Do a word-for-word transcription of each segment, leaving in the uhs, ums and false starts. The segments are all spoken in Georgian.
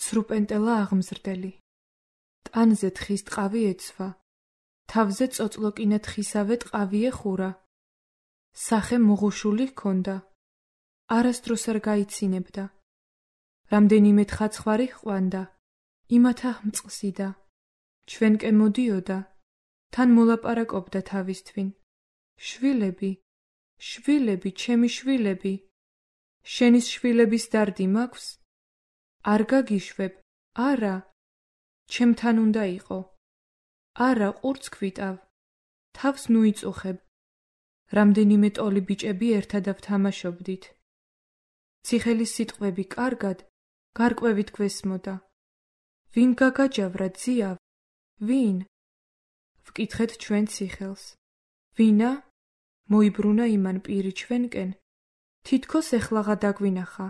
სრუპენტელა აღმზრდელი. ტანზე თხის ტყავი ეცვა, თავზე წოწლოკინა თხისავე ტყავი ეხურა. სახე მოღუშული ჰქონდა, არასდროს არ გაიცინებდა. რამდენიმე თხაცხვარი ჰყვანდა, იმათა მწყსიდა. ჩვენკენ მოდიოდა, თან მოლაპარაკობდა თავისთვინ. შვილები, შვილები, ჩემი შვილები, შენის შვილების დარდი მაქვს? არ გაგიშვებ, არა, ჩემთან უნდა იყო. არა, ყურც გვიტავ, თავს ნუიწუხებ. რამდენიმე ტოლი ბიჭები ერთად ავთამაშობდით. ციხელის სიტყვები კარგად, გარკვევით გვესმოდა. ვინ გაგაჯავრა ძიავ? ვინ? ვკითხეთ ჩვენ ციხელს. ვინა? მოიბრუნა იმან პირი ჩვენკენ. თითქოს ეხლაღა დაგვინახა.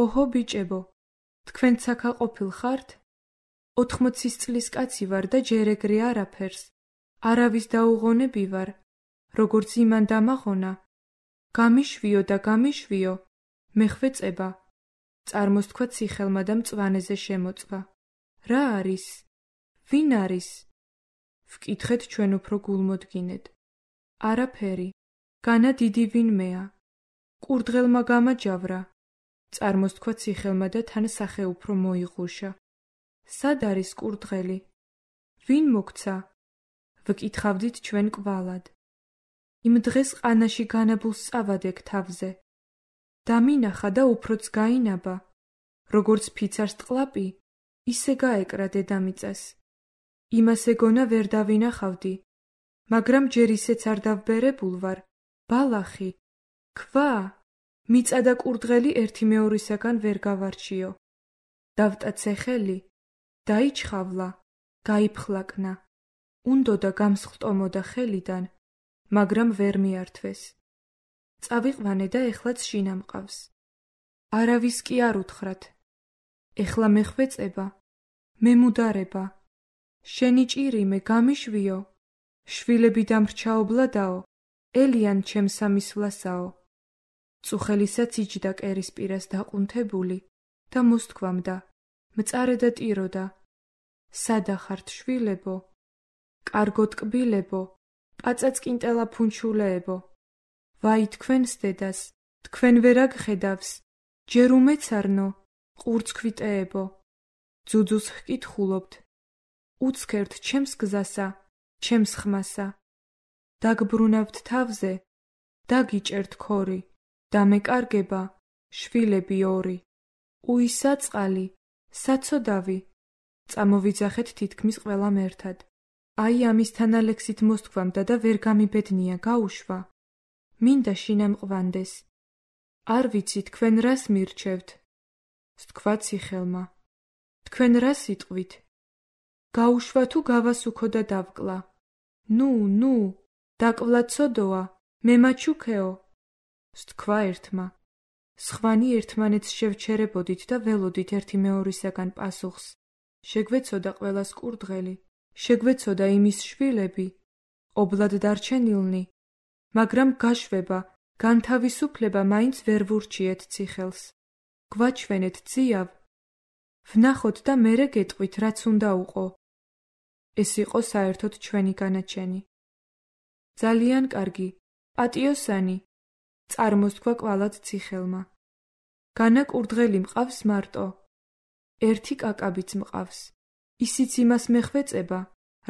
ოჰო ბიჭებო, თქვენ ცაქა ყოფილ ხართ? ოთხმოცის წლის კაცი ვარ და ჯერ ეგრე არაფერს. არავის დაუღონები ვარ, როგორც იმან დამაღონა. გამიშვიო და გამიშვიო, მეხვეწება. წარმოსთქვა ციხელმა და მწვანეზე შემოწვა. რა არის? ვინ არის? ვკითხეთ ჩვენ უფრო გულმოდგინედ. არაფერი, განა დიდი ვინმეა. კურდღელმა გამაჯავრა. წარმოსთქვა ციხელმა და თან სახე უფრო მოიღუშა. სად არის კურდღელი? ვინ მოგცა? ვკითხავდით ჩვენ კვალად. იმ დღეს ყანაში განაბულს წავადეკ თავზე. დამინახა და უფროც გაინაბა. როგორც ფიცარს ტყლაპი, ისე გაეკრა დედამიწას. იმას ეგონა ვერ დავინახავდი, მაგრამ ჯერ ისეც არ დავბერებულ ვარ. ბალახი, ქვა, მიწა და კურდღელი ერთი მეორისაგან ვერ გავარჩიო. დავტაცე ხელი, დაიჩხავლა, გაიფხლაკნა. უნდოდა გამსხტომოდა ხელიდან, მაგრამ ვერ მიართვეს. წავიყვანე და ეხლაც შინა მყავს. არავის კი არ უთხრათ. ეხლა მეხვეწება, მემუდარება. შენი ჭირიმე გამიშვიო. შვილები დამრჩაობლადაო, ელიან ჩემ სამისვლასაო. წუხელისაც იჯდა კერის პირას დაყუნთებული და მოსთქვამდა, მწარე და ტიროდა. სადა ხართ შვილებო? კარგო ტკბილებო, პაწაწკინტელა ფუნჩულეებო. ვაი თქვენს დედას, თქვენ ვერ აგხედავს, ჯერ უმეცარნო, ყურც ქვიტეებო. ძუძუს ჰკითხულობთ. უცქერთ ჩემს გზასა, ჩემს ხმასა. დაგბრუნავთ თავზე, დაგიჭერთ ქორი, დამეკარგება, შვილები ორი. უისა წყალი, საცოდავი. წამოვიძახეთ თითქმის ყველამ ერთად. აი ამისთან ალექსით მოსთქვამდა და ვერ გამიბედნია, გაუშვა. მინდა შინამყვანდეს. არ ვიცი თქვენ რას მირჩევთ? სთქვა ციხელმა. თქვენ რას იტყვით? გაუშვა თუ გავასუქო და დავკლა. ნუ, ნუ, დაკვლა ცოდოა, მემაჩუქეო. სთქვა ერთმა. სხვანი ერთმანეთს შევჩერებოდით და ველოდით ერთი მეორისაგან პასუხს. შეგვეცოდა ყველას კურდღელი, შეგვეცოდა იმის შვილები, ობლად დარჩენილნი, მაგრამ გაშვება, განთავისუფლება მაინც ვერ ვურჩიეთ ციხელს. გვაჩვენეთ ძიავ. ვნახოთ და მერე გეტყვით, რაც უნდა უყო. ეს იყო საერთოდ ჩვენი განაჩენი. ძალიან კარგი, პატიოსანი, წარმოსთქვა კვალად ციხელმა. განა კურდღელი მყავს მარტო. ერთი კაკაბიც მყავს, ისიც იმას მეხვეწება,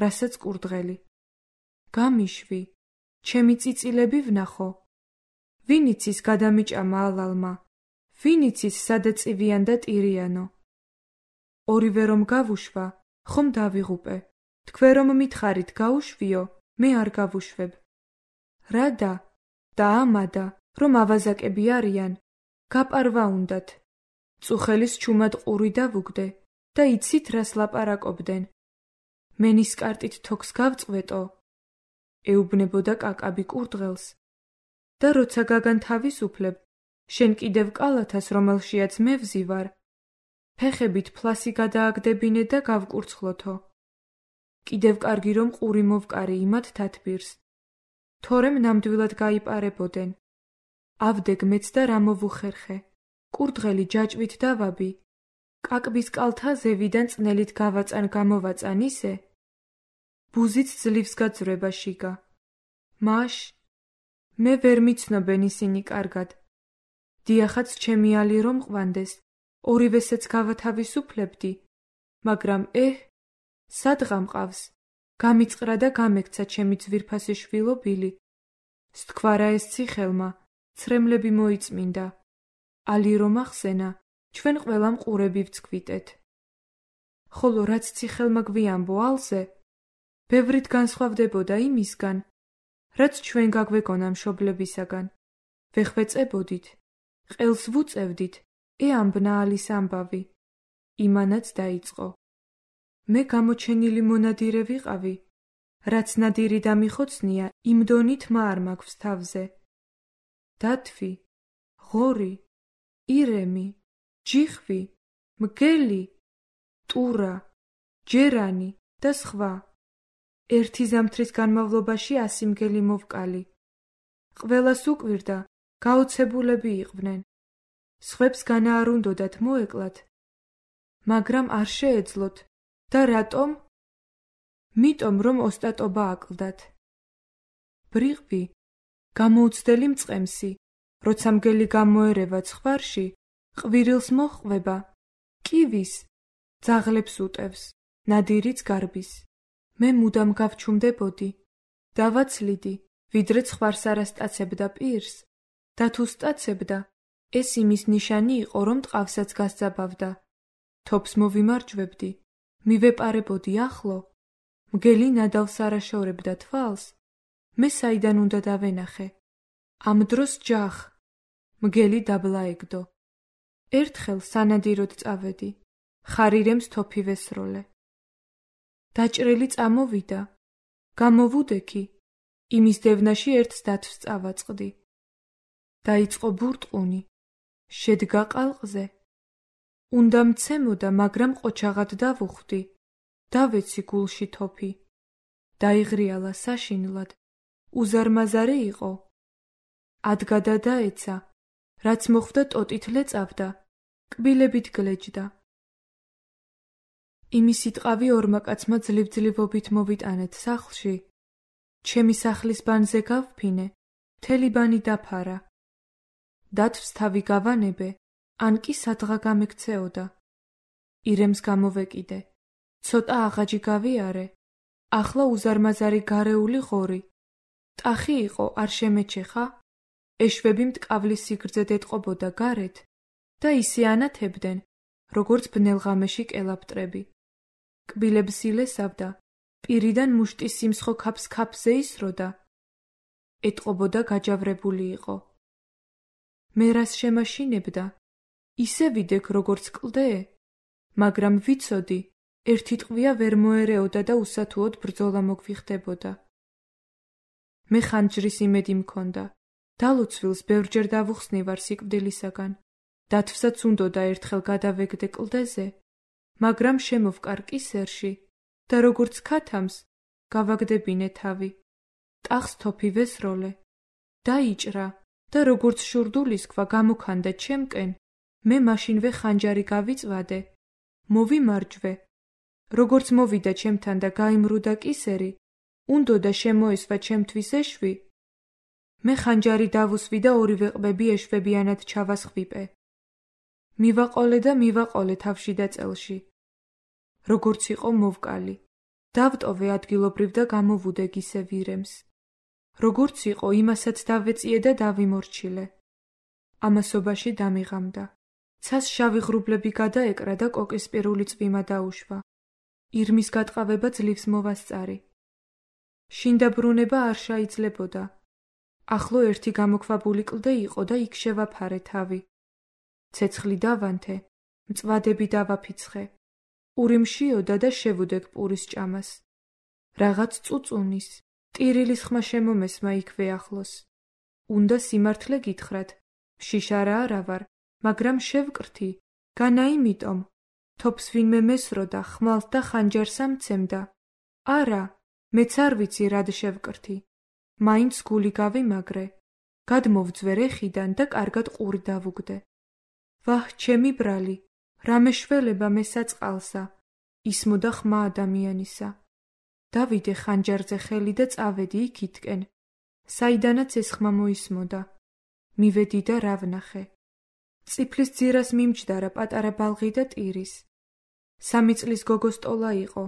რასაც კურდღელი. გამიშვი, ჩემი წიწილები ვნახო. ვინ იცის გადამიჭამა ალალმა, ვინ იცის სადაწივიან და ტირიანო. ორივე რომ გავუშვა, ხომ დავიღუპე. თქვენ რომ მითხარით გაუშვიო, მე არ გავუშვებ. რადა და ამადა, რომ ავაზაკები არიან, გაპარვა უნდათ. წუხელის ჩუმად ყური დავუგდე და იცით რას ლაპარაკობდნენ. მენისკარტით თოქს გავწყვეტო. ეუბნებოდა კაკაბი კურდღელს. და როცა გაგანთავისუფლებ, შენ კიდევ კალათას, რომელშიაც მე ვზივარ, ფეხებით ფლასი გადააგდებინე და გავკურცხლოთო. კიდევ კარგი რომ ყური მოვკარი იმათ თათბირს. თორემ ნამდვილად გაიპარებოდენ. ავდე გმეც და რა მოვუხერხე. კურდღელი ჯაჭვით დავაბი. კაკბის კალთა ზევიდან წნელით გავაწან გამოვაწან ისე, ბუზიც ძლივს გაძვრება შიგა. მაშ მე ვერ მიცნობენ ისინი კარგად. დიახაც ჩემი ალი რომ ყვანდეს, ორივესეც გავათავისუფლებდი, მაგრამ ეჰ, სადღა მყავს, გამიწყრა და გამექცა ჩემი ძვირფასი შვილო ბილი. სთქვარა ეს ციხელმა, ცრემლები მოიწმინდა. ალი რომ ახსენა, ჩვენ ყველამ ყურები ვცქვიტეთ. ხოლო რაც ციხელმა გვიამბო ალზე, ბევრით განსხვავდებოდა იმისგან, რაც ჩვენ გაგვეგონა მშობლებისაგან. ვეხვეწებოდით, ყელს ვუწევდით, ე ამბნა ალის ამბავი. იმანაც დაიწყო. მე გამოჩენილი მონადირე ვიყავი, რაც ნადირი დამიხოცნია, იმ დონით მა არ მაქვს თავზე. დათვი, ღორი, ირემი, ჯიხვი, მგელი, ტურა, ჯერანი და სხვა. ერთი ზამთრის განმავლობაში ასი მგელი მოვკალი. ყველას უკვირდა, გაოცებულები იყვნენ. სხვებს განაარუნდოდათ მოეკლათ, მაგრამ არ შეეძლოთ. და რატომ? მიტომ რომ ოსტატობა აკლდათ. ბრიყვი, გამოუცდელი მწყემსი, როცა მგელი გამოერევა ცხვარში, ყვირილს მოჰყვება, კივის, ძაღლებს უტევს, ნადირიც გარბის. მე მუდამ გავჩუმდებოდი, დავაცლიდი, ვიდრე ცხვარს არ ასტაცებდა პირს, და თუ სტაცებდა, ეს იმის ნიშანი იყო, რომ ტყავსაც გასძაბავდა. თოფს მოვიმარჯვებდი, მივეპარებოდი ახლო, მგელი ნადავლს არ აშორებდა თვალს, მე საიდან უნდა დავენახე? ამ დროს ჯახ, მგელი დაბლა ეგდო. ერთხელ სანადიროდ წავედი, ხარირემს თოფი ვესროლე. დაჭრილი წამოვიდა, გამოვუდექი, იმის დევნაში ერთს დათვს წავაწყდი. დაიწყო ბურტყუნი, შედგა ყალყზე. უნდა მცემოდა, მაგრამ ყოჩაღად დავუხვდი, დავეცი გულში თოფი. დაიღრიალა საშინლად, უზარმაზარი იყო. ადგა და დაეცა, რაც მოხვდა ტოტით ლეწავდა, კბილებით გლეჯდა. იმისი ტყავი ორმა კაცმა ძლივ-ძლივობით მოვიტანეთ სახლში. ჩემი სახლის ბანზე გავფინე, მთელი ბანი დაფარა. დათვს თავი გავანებე, ან კი სადღა გამექცეოდა. ირემს გამოვეკიდე, ცოტა აღაჯი გავიარე, ახლა უზარმაზარი გარეული ღორი. ტახი იყო, არ შემეჩეხა, ეშვები მტკავლის სიგრძედ ეტყობოდა გარეთ და ისე ანათებდნენ, როგორც ბნელღამეში კელაპტრები. კბილებს ილესავდა, პირიდან მუშტის სიმსხო ქაფს ქაფზე ისროდა. ეტყობოდა გაჯავრებული იყო. მე რას შემაშინებდა? ისე ვიდექ, როგორც კლდე, მაგრამ ვიცოდი, ერთი ტყვია ვერ მოერეოდა და უსათუოდ ბრძოლა მოგვიხდებოდა. მე ხანჯრის იმედი მქონდა. დალოცვილს ბევრჯერ დავუხსნივარ სიკვდილისაგან. დათვსაც უნდოდა ერთხელ გადავეგდე კლდეზე, მაგრამ შემოვკარ კისერში და როგორც ქათამს, გავაგდებინე თავი. ტახს თოფი ვესროლე. დაიჭრა და როგორც შურდულის ქვა გამოქანდა ჩემკენ, მე მაშინვე ხანჯარი გავიწვადე. მოვიმარჯვე. როგორც მოვიდა ჩემთან და გაიმრუდა კისერი, უნდოდა შემოესვა ჩემთვის ეშვი. მე ხანჯარი დავუსვი და ორივე ყბები ეშვებიანად ჩავასხვიპე. მივაყოლე და მივაყოლე თავში და წელში. როგორც იყო მოვკალი. დავტოვე ადგილობრივ და გამოვუდე გისევ ირემს. როგორც იყო, იმასაც დავეწიე და დავიმორჩილე. ამასობაში დამიღამდა. ცას შავი ღრუბლები გადაეკრა და კოკისპირული წვიმა დაუშვა. ირმის გატყავება ძლივს მოვასწარი. შინდაბრუნება არ შეიძლებოდა. ახლო ერთი გამოქვაბული კლდე იყო და იქ შევაფარე თავი. ცეცხლი დავანთე, მწვადები დავაფიცხე. პური მშიოდა და შევუდექ პურის ჭამას. რაღაც წუწუნის, ტირილის ხმა შემომესმა იქვე ახლოს. უნდა სიმართლე გითხრათ, მშიშარა არა ვარ, მაგრამ შევკრთი, განა იმიტომ. თოფს ვინმე მესროდა, ხმალთ და ხანჯარს ამცემდა. არა, მეც არ ვიცი რად შევკრთი. მაინც გული გავიმაგრე. გადმოვძვე რეხიდან და კარგად ყური დავუგდე. ვაჰ, ჩემი ბრალი, რამე შველება მესაწყალსა, ისმოდა ხმა ადამიანისა. დავიდე ხანჯარზე ხელი და წავედი იქითკენ, საიდანაც ეს ხმა მოისმოდა. მივედი და რა ვნახე. წიფლის ძირას მიმჯდარა პატარა ბალღი და ტირის. სამი წლის გოგო სტოლა იყო.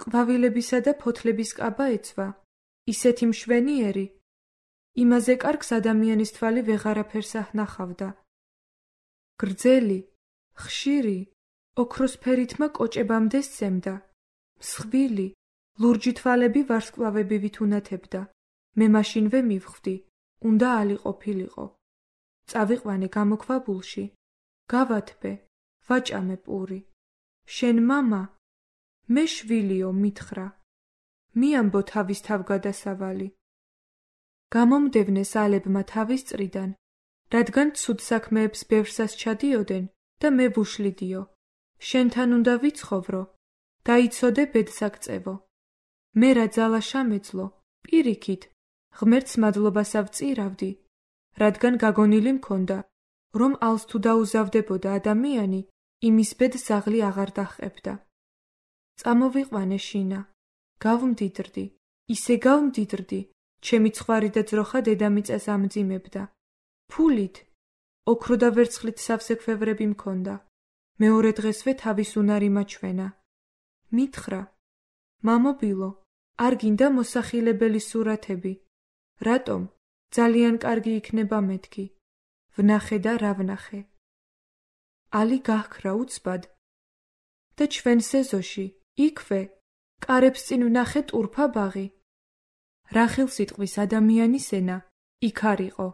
ყვავილებისა და ფოთლების კაბა ეცვა, ისეთი მშვენიერი. იმაზე კარგს ადამიანის თვალი ვეღარაფერს აჰნახავდა. გრძელი, ხშირი, ოქროსფერითმა კოჭებამდე სცემდა. მსხვილი, ლურჯი თვალები ვარსკვლავებივით უნათებდა. მე მაშინვე მივხვდი, უნდა ალი ყოფილიყო. წავიყვანე გამოქვაბულში. გავათბე, ვაჭამე პური. შენ მამა? მე შვილიო, მითხრა. მიამბო თავის თავგადასავალი. გამომდევნეს ალებმა თავის წრიდან, რადგან ცუდ საქმეებს ბევრსას ჩადიოდენ და მე ვუშლიდიო. შენთან უნდა ვიცხოვრო, დაიცოდე ბედსაგწევო. მე რა ძალა შამეძლო, პირიქით, ღმერთს მადლობას ავწირავდი, რადგან გაგონილი მქონდა, რომ ალს თუ დაუზავდებოდა ადამიანი, იმის ბედს ზაღლი აღარ დაჰყებდა. წამოვიყვანე შინა, გავმდიდრდი, ისე გავმდიდრდი, ჩემი ცხვარი და ძროხა დედამიწას ამძიმებდა. ფულით, ოქრო და ვერცხლით სავსე ქვევრები მქონდა. მეორე დღესვე თავის უნარი მაჩვენა. მითხრა, მამობილო, არ გინდა მოსახილებელი სურათები. რატომ? ძალიან კარგი იქნება მეთქი. ვნახე და რა ვნახე. ალი გაჰქრა უცბად და ჩვენ სეზოში, იქვე, კარებს წინ ვნახე ტურფა ბაღი. რა ხელსიტყვის ადამიანის ენა, იქ არ იყო.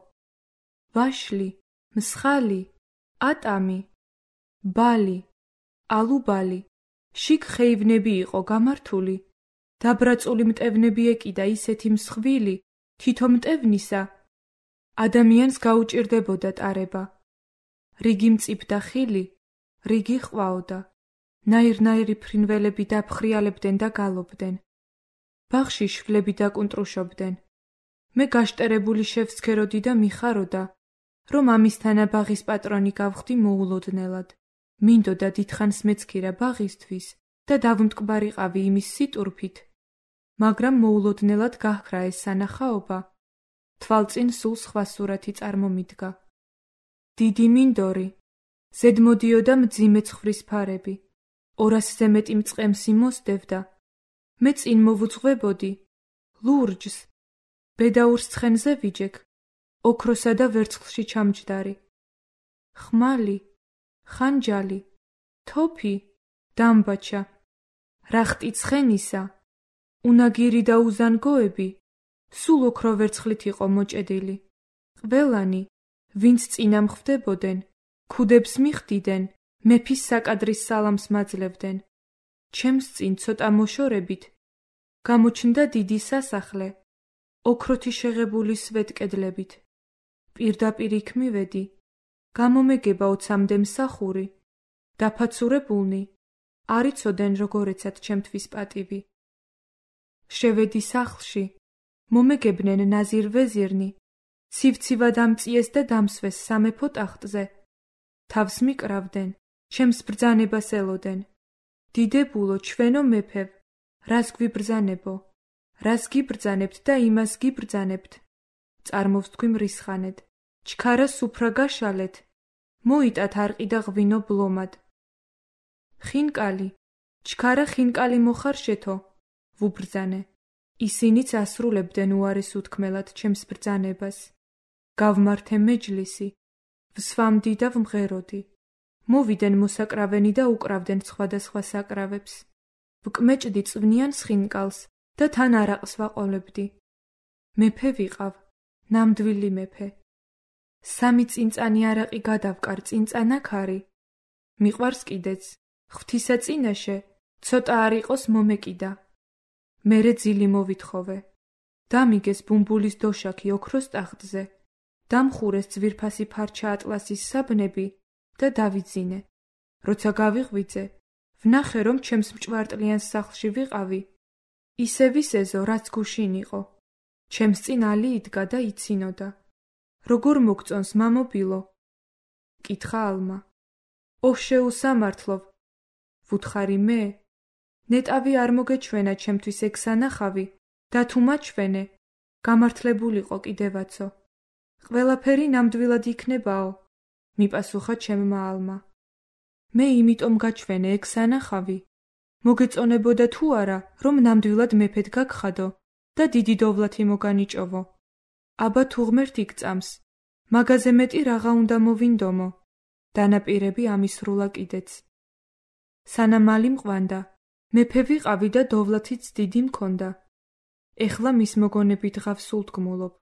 ვაშლი, მსხალი, ატამი, ბალი, ალუბალი, შიგ ხეივნები იყო გამართული, დაბრაწული მტევნები ეკიდა ისეთი მსხვილი, თითო მტევნისა ადამიანს გაუჭირდებოდა ტარება. რიგი მწიფდა ხილი, რიგი ყვაოდა. ნაირ-ნაირი ფრინველები დაფხრიალებდნენ და გალობდნენ. ბაღში შვლები დაკუნტრუშობდნენ. მე გაშტერებული შევსქეროდი და მიხაროდა, რომ ამისთანა ბაღის პატრონი გავხდი მოულოდნელად. მინდოდა დიდხანს მეცქირა ბაღისთვის და დავმტკბარიყავი იმის სიტურფით, მაგრამ მოულოდნელად გაჰქრა ეს სანახაობა. თვალწინ სულ სხვა სურათი წარმომიდგა. დიდი მინდორი, ზედმოდიოდა მძიმე ცხვრის ფარები, ორასზე მეტი მწყემსი მოსდევდა. მე წინ მოვუძღვებოდი, ლურჯს, ბედაურს ცხენზე ვიჯექ, ოქროსა და ვერცხლში ჩამჯდარი. ხმალი, ხანჯალი, თოფი, დამბაჩა, რახტი ცხენისა, უნაგირი და უზანგოები, სულ ოქრო ვერცხლით იყო მოჭედილი. ყველანი, ვინც წინა მხვდებოდენ, ქუდებს მიხდიდნენ, მეფის საკადრის სალამს მაძლევდნენ. ჩემს წინ ცოტა მოშორებით გამოჩნდა დიდი სასახლე, ოქროთი შეღებული სვეტკედლებით. პირდაპირ იქ მივედი, გამომეგება ოცამდე მსახური, დაფაცურებულნი, არ იცოდნენ როგორეცად ჩემთვის პატივი. შევედი სახლში, მომეგებნენ ნაზირ ვეზირნი, ცივცივად ამწიეს და დამსვეს სამეფო ტახტზე. თავს მიკრავდნენ, ჩემს ბრძანებას ელოდნენ. დიდებულო, ჩვენო მეფევ, რას გვიბრძანებო? რას გიბრძანებთ და იმას გიბრძანებთ? წარმოვსთქვი მრისხანედ, ჩქარა სუფრა გაშალეთ, მოიტათ არყი და ღვინო ბლომად. ხინკალი, ჩქარა ხინკალი მოხარშეთო, ვუბრძანე. ისინიც ასრულებდნენ უარეს უთქმელად ჩემს ბრძანებას. გავმართე მეჯლისი, ვსვამდი და ვმღეროდი. მოვიდნენ მოსაკრავენი და უკრავდნენ სხვადასხვა საკრავებს. ვკმეჭდი წვნიან სხინკალს და თან არაყს ვაყოლებდი. მეფე ვიყავ, ნამდვილი მეფე. სამი წინწანი არაყი გადავკარ წინწანა ქარი. მიყვარს კიდეც, ღვთისა წინაშე, ცოტა არ იყოს მომეკიდა. მერე ძილი მოვითხოვე. დამიგეს ბუმბულის დოშაქი ოქროს ტახტზე. დამხურეს ძვირფასი ფარჩა ატლასის საბნები და დავიძინე. როცა გავიღვიძე, ვნახე, რომ ჩემს მჭვარტლიან სახლში ვიყავი. ისე ვისეზო, რაც გუშინ იყო. ჩემს წინ ალი იდგა და იცინოდა. როგორ მოგწონს, მამობილო? კითხა ალმა. ოშეულ სამართლով, ვუთხარი მე, ნეტავი არ მოგეჩვენა ჩემთვის ეგ სანახავი, და თუ მაჩვენე, გამართლებულიყო კიდევაცო. ყველაფერი ნამდვილად იქნებაო, მიპასუხა ჩემმა ალმა. მე იმიტომ გაჩვენე ეგ სანახავი, მოგეწონებოდა თუ არა, რომ ნამდვილად მეფედ გაგხადო და დიდი დოვლათი მოგანიჭოვო. აბა თუ ღმერთი გწამს, მაგაზე მეტი რაღა უნდა მოვინდომო, დანაპირები ამისრულა კიდეც. სანამ მალი მყვანდა, მეფე ვიყავი და დოვლათიც დიდი მქონდა. ეხლა მის მოგონებით ღავს სულთგმულობ.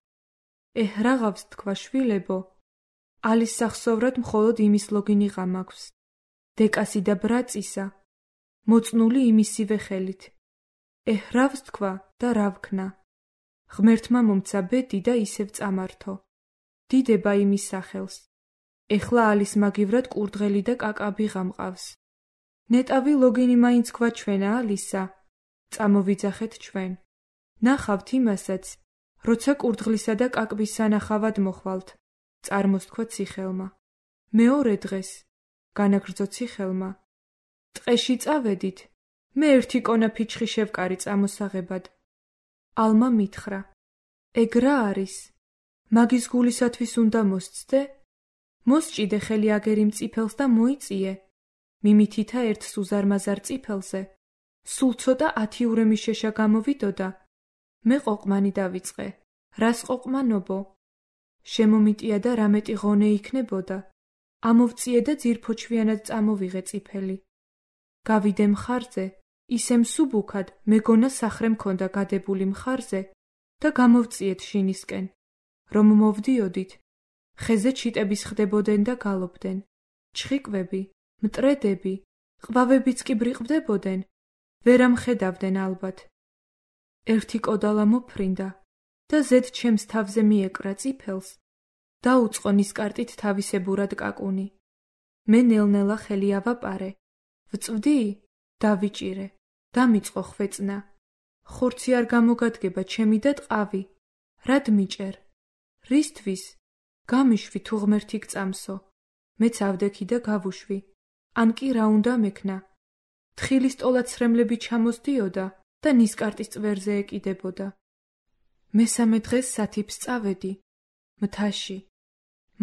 ეჰ, რაღავს თქვა შვილებო, ალის სახსოვრად მხოლოდ იმის ლოგინიღა მაქვს. დეკასი და ბრაწისა, მოწნული იმისივე ხელით. ეჰ, რავს თქვა და რა ვქნა. ღმერთმა მომცა ბედი და ისევ წამართო. დიდება იმის სახელს. ეხლა ალის მაგივრად კურდღელი და კაკაბიღა მყავს. ნეტავი ლოგინი მაინც გვაჩვენა ალისა, წამოვიძახეთ ჩვენ. ნახავთ იმასაც, როცა კურდღლისა და კაკბის სანახავად მოხვალთ, წარმოსთქვა ციხელმა. მეორე დღეს, განაგრძო ციხელმა. ტყეში წავედით, მე ერთი კონა ფიჩხი შევკარი წამოსაღებად. ალმა მითხრა, ეგ რა არის? მაგის გულისათვის უნდა მოსცდე? მოსჭიდე ხელი აგერი მწიფელს და მოიწიე. მიმითითა ერთს უზარმაზარ წიფელზე. სულ ცოტა ათი ურემი შეშა გამოვიდოდა. მე ყოყმანი დავიწყე. რას ყოყმანობო? შემომიტია და რამეტი ღონე იქნებოდა. ამოვწიე და ძირფოჩვიანად წამოვიღე წიფელი. გავიდე მხარზე, ისე მსუბუქად მეგონა სახრე მქონდა გადებული მხარზე და გამოვწიეთ შინისკენ. რომ მოვდიოდით, ხეზე ჩიტების ხდებოდნენ და გალობდნენ. ჩხიკვები, მტრედები, ყვავებიც კი ბრიყვდებოდნენ, ვერ ამხედავდნენ ალბათ. ერთი კოდალა მოფრინდა და ზედ ჩემს თავზე მიეკრა წიფელს, დაუწყო ნისკარტით თავისებურად კაკუნი. მე ნელ-ნელა ხელი ავაპარე. ვწვდი? დავიჭირე. დამიწყო ხვეწნა. ხორცი არ გამოგადგება ჩემი და ტყავი. რად მიჭერ? რისთვის? გამიშვი თუ ღმერთი გწამსო. მეც ავდექი და გავუშვი. ან კი რა უნდა მექნა? თხილის ტოლაცრემლები ჩამოსდიოდა და ნისკარტის წვერზე ეკიდებოდა. მესამე დღეს სათიფს წავედი. მთაში.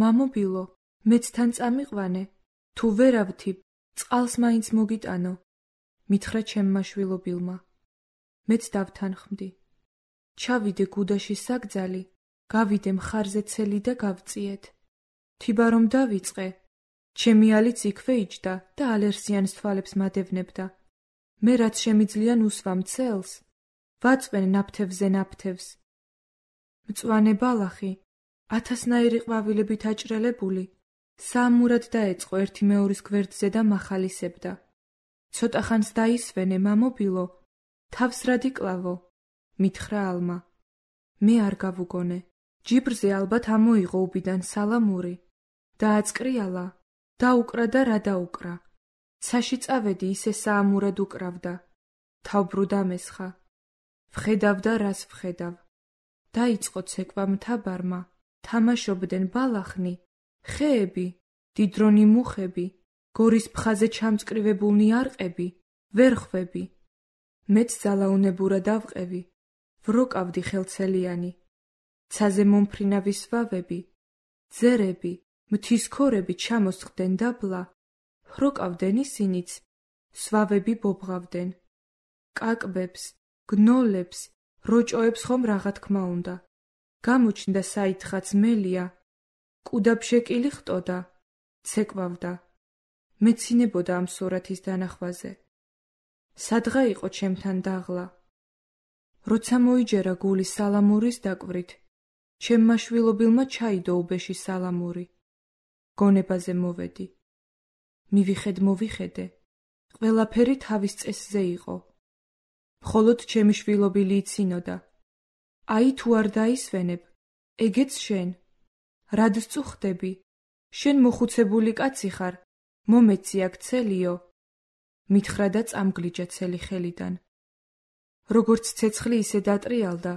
მამობილო, მეც თან წამიყვანე. თუ ვერ ავთიბ, წყალს მაინც მოგიტანო. მითხრა ჩემმა შვილობილმა. მეც დავთანხმდი. ჩავიდე გუდაში საგძალი, გავიდე მხარზე ცელი და გავწიეთ. თიბა რომ დავიწყე, ჩემი ალიც იქვე იჯდა და ალერსიანს თვალებს მადევნებდა. მე რაც შემიძლია უსვამ ცელს, ვაწვენ ნაფთევზე ნაფთევს. მწვანე ბალახი, ათასნაირი ყვავილებით აჭრელებული, საამურად დაეწყო ერთი მეორის გვერდზე და მახალისებდა. ცოტა ხანს დაისვენე, მამობილო, თავს რად იკლავო? მითხრა ალმა. მე არ გავუგონე. ჯიბრზე ალბათ ამოიღო უბიდან სალამური. დააწკრიალა, დაუკრა და რა დაუკრა. ცაში წავედი, ისე საამურად უკრავდა. თავბრუ დამესხა. ვხედავ და რას ვხედავ. დაიწყო ცეკვა მთაბარმა. თამაშობდნენ ბალახნი, ხეები, დიდრონი მუხები, გორის ფხაზე ჩამწკრივებულნი არყები, ვერხვები. მეც ზალაუნებურა დავყევი. ვროკავდი ხელცელიანი. ცაზე მომფრინავის ვავები, ძერები, მთის ქორები ჩამოსხდნენ დაბლა. ვროკავდნენ ისინიც, სვავები ბობღავდნენ. კაკბებს, გნოლებს, როჭოებს ხომ რაღა თქმა უნდა. გამოჩნდა საითხაც მელია. კუდაბშეკილი ხტოდა, ცეკვავდა. მეცინებოდა ამ სურათის დანახვაზე. სადღა იყო ჩემთან დაღლა. როცა მოიჯერა გული სალამურის დაკვრით, ჩემმა შვილობილმა ჩაიდო უბეში სალამური. გონებაზე მოვედი. მივიხედ მოვიხედე. ყველაფერი თავის წესზე იყო. მხოლოდ ჩემი შვილობილი იცინოდა. აი თუ არ დაისვენებ, ეგეც შენ. რად სწუხდები? შენ მოხუცებული კაცი ხარ, მომეცი აქ ცელიო. მითხრა და წამგლიჯა ცელი ხელიდან. როგორც ცეცხლი ისე დატრიალდა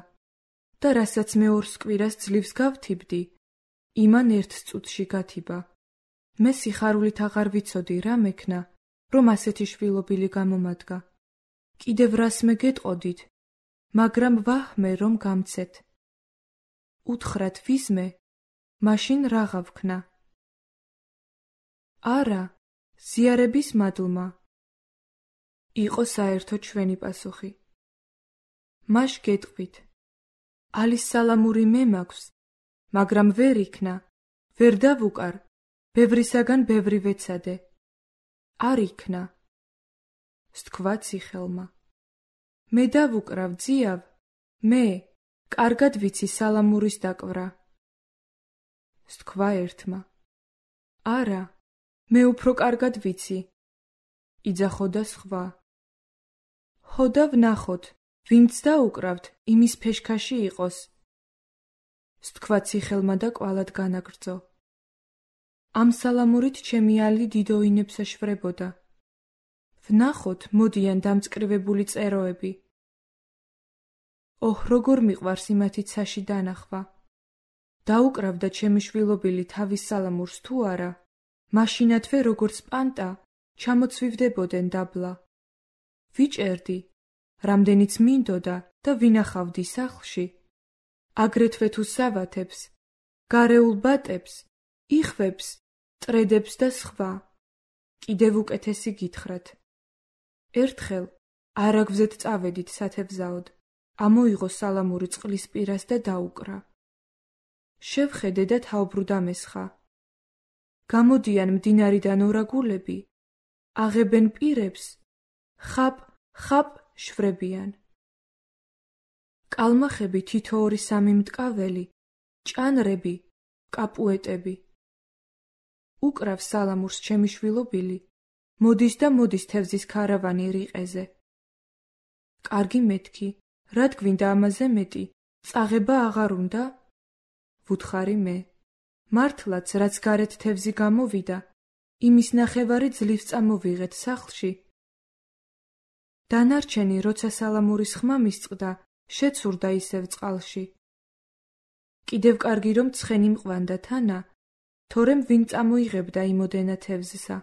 და რასაც მე ორს კვირას ძლივს გავთიბდი, იმან ერთ წუთში გათიბა. მე სიხარულით აღარ ვიცოდი რა მექნა, რომ ასეთი შვილობილი გამომადგა. კიდევ რასმე გეტყოდით, მაგრამ ვაჰმე რომ გამცეთ. უთხრათ ვიზმე, მაშინ რაღა ვქნა. არა, ზიარების მადლმა. იყო საერთო ჩვენი პასუხი. მაშ გეტყვით. ალის სალამური მე მაქვს, მაგრამ ვერ იქნა, ვერ დავუკარ, ბევრისაგან ბევრი ვეცადე. არ იქნა. სთქვა ციხელმა. მე დავუკრავ ძიავ, მე, კარგად ვიცი სალამურის დაკვრა. სთქვა ერთმა. არა, მე უფრო კარგად ვიცი. იძახოდა სხვა. ჰოდა ვნახოთ, ვინც დაუკრავთ, იმის ფეშქაში იყოს. სთქვა ციხელმა და კვალად განაგრძო. ამ სალამურით ჩემი ალი დიდოინებს ეშვრებოდა. ვნახოთ, მოდიან დამწკრივებული წეროები. ოჰ, როგორ მიყვარს იმათი ცაში დანახვა. დაუკრავდა ჩემი შვილობილი თავის სალამურს თუ არა, მაშინათვე როგორც პანტა, ჩამოცვივდებოდნენ დაბლა. ვიჭერდი, რამდენიც მინდოდა და ვინახავდი სახლში, აგრეთვე თუ სავათებს, გარეულ ბატებს, იხვებს, ტრედებს და სხვა. კიდევ უკეთესი გითხრათ. ერთხელ არაგვზეთ წავედით სათევზაოდ, ამოიღო სალამური წყლის პირას და დაუკრა. შევხედე და თაუბრუდ ამესხა. გამოდიან მდინარიდან ორაგულები, აღებენ პირებს, ხაპ, ხაპ შვრებიან. კალმახები თითო ორი სამი მტკაველი, ჭანრები, კაპუეტები. უკრავ სალამურს ჩემი შვილობილი, მოდის და მოდის თევზის ქარავანი რიყეზე. კარგი მეთქი, რად გვინდა ამაზე მეტი, წაღება აღარ უნდა? ვუთხარი მე. მართლაც, რაც გარეთ თევზი გამოვიდა, იმის ნახევარი ძლივ წამოვიღეთ სახლში. დანარჩენი, როცა სალამურის ხმა მისწყდა, შეცურდა ისევ წყალში. კიდევ კარგი რომ ცხენი მყვანდა თანა, თორემ ვინ წამოიღებდა იმოდენა თევზსა.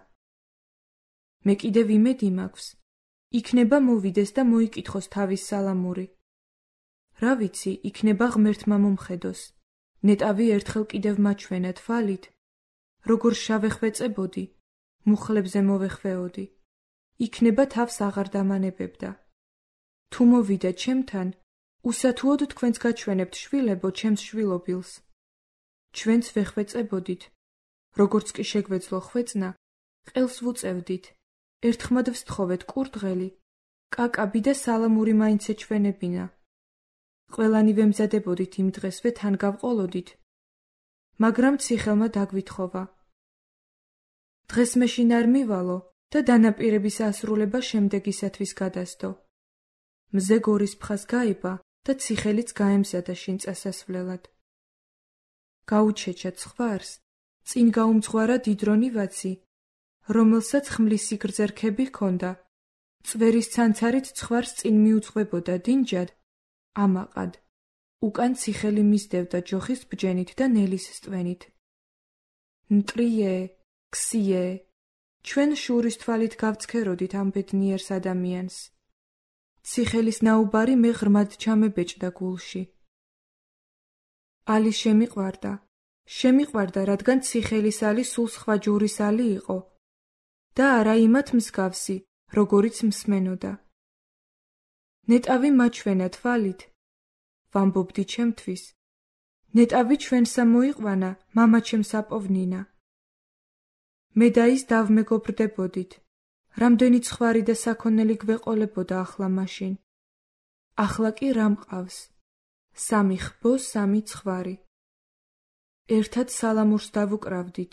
მე კიდევ იმედი მაქვს, იქნება მოვიდეს და მოიკითხოს თავის სალამური. რა ვიცი, იქნება ღმერთმა მომხედოს. ნეტავი ერთხელ კიდევ მაჩვენა თვალით, როგორ შავეხვეწებოდი, მუხლებზე მოვეხვეოდი. იქნება თავს აღარ დამანებებდა. თუ მოვიდა ჩემთან, უსათუოდ თქვენც გაჩვენებთ შვილებო ჩემს შვილობილს. ჩვენც ვეხვეწებოდით, როგორც კი შეგვეძლო ხვეწნა, ყელს ვუწევდით, ერთხმად ვსთხოვეთ კურდღელი, კაკაბი და სალამური მაინც ეჩვენებინა. ყველანი ვემზადებოდით იმ დღესვე თან გავყოლოდით, მაგრამ ციხელმა დაგვითხოვა. დღეს მეშინ არ მივალო და დანაპირების ასრულება შემდეგისათვის გადასდო. მზე გორის ფხას გაება და ციხელიც გაემზადა შინ წასასვლელად. გაუჩეჩა ცხვარს, წინ გაუმძღვარა დიდრონი ვაცი, რომელსაც ხმლის სიგრძე რქები ჰქონდა. წვერის ცანცარით ცხვარს წინ მიუძღვებოდა დინჯად, ამაყად. უკან ციხელი მისდევდა ჯოხის ბჯენით და ნელის სტვენით. ნტრიე, ქსიე, ჩვენ შურის თვალით გავცქეროდით ამ ბედნიერს ადამიანს. ციხელის ნაუბარი მე ღრმად ჩამებეჭდა გულში. ალი შემიყვარდა, შემიყვარდა, რადგან ციხელის ალი სულ სხვა ჯურის ალი იყო და არა იმათ მსგავსი, როგორიც მსმენოდა. ნეტავი მაჩვენა თვალით, ვამბობდი ჩემთვის. ნეტავი ჩვენსა მოიყვანა, მამა ჩემს აპოვნინა. მე და ის დავმეგობრდებოდით, რამდენი ცხვარი და საქონელი გვეყოლებოდა ახლა მაშინ. ახლა კი რა მყავს? სამი ხბო, სამი ცხვარი. ერთად სალამურს დავუკრავდით.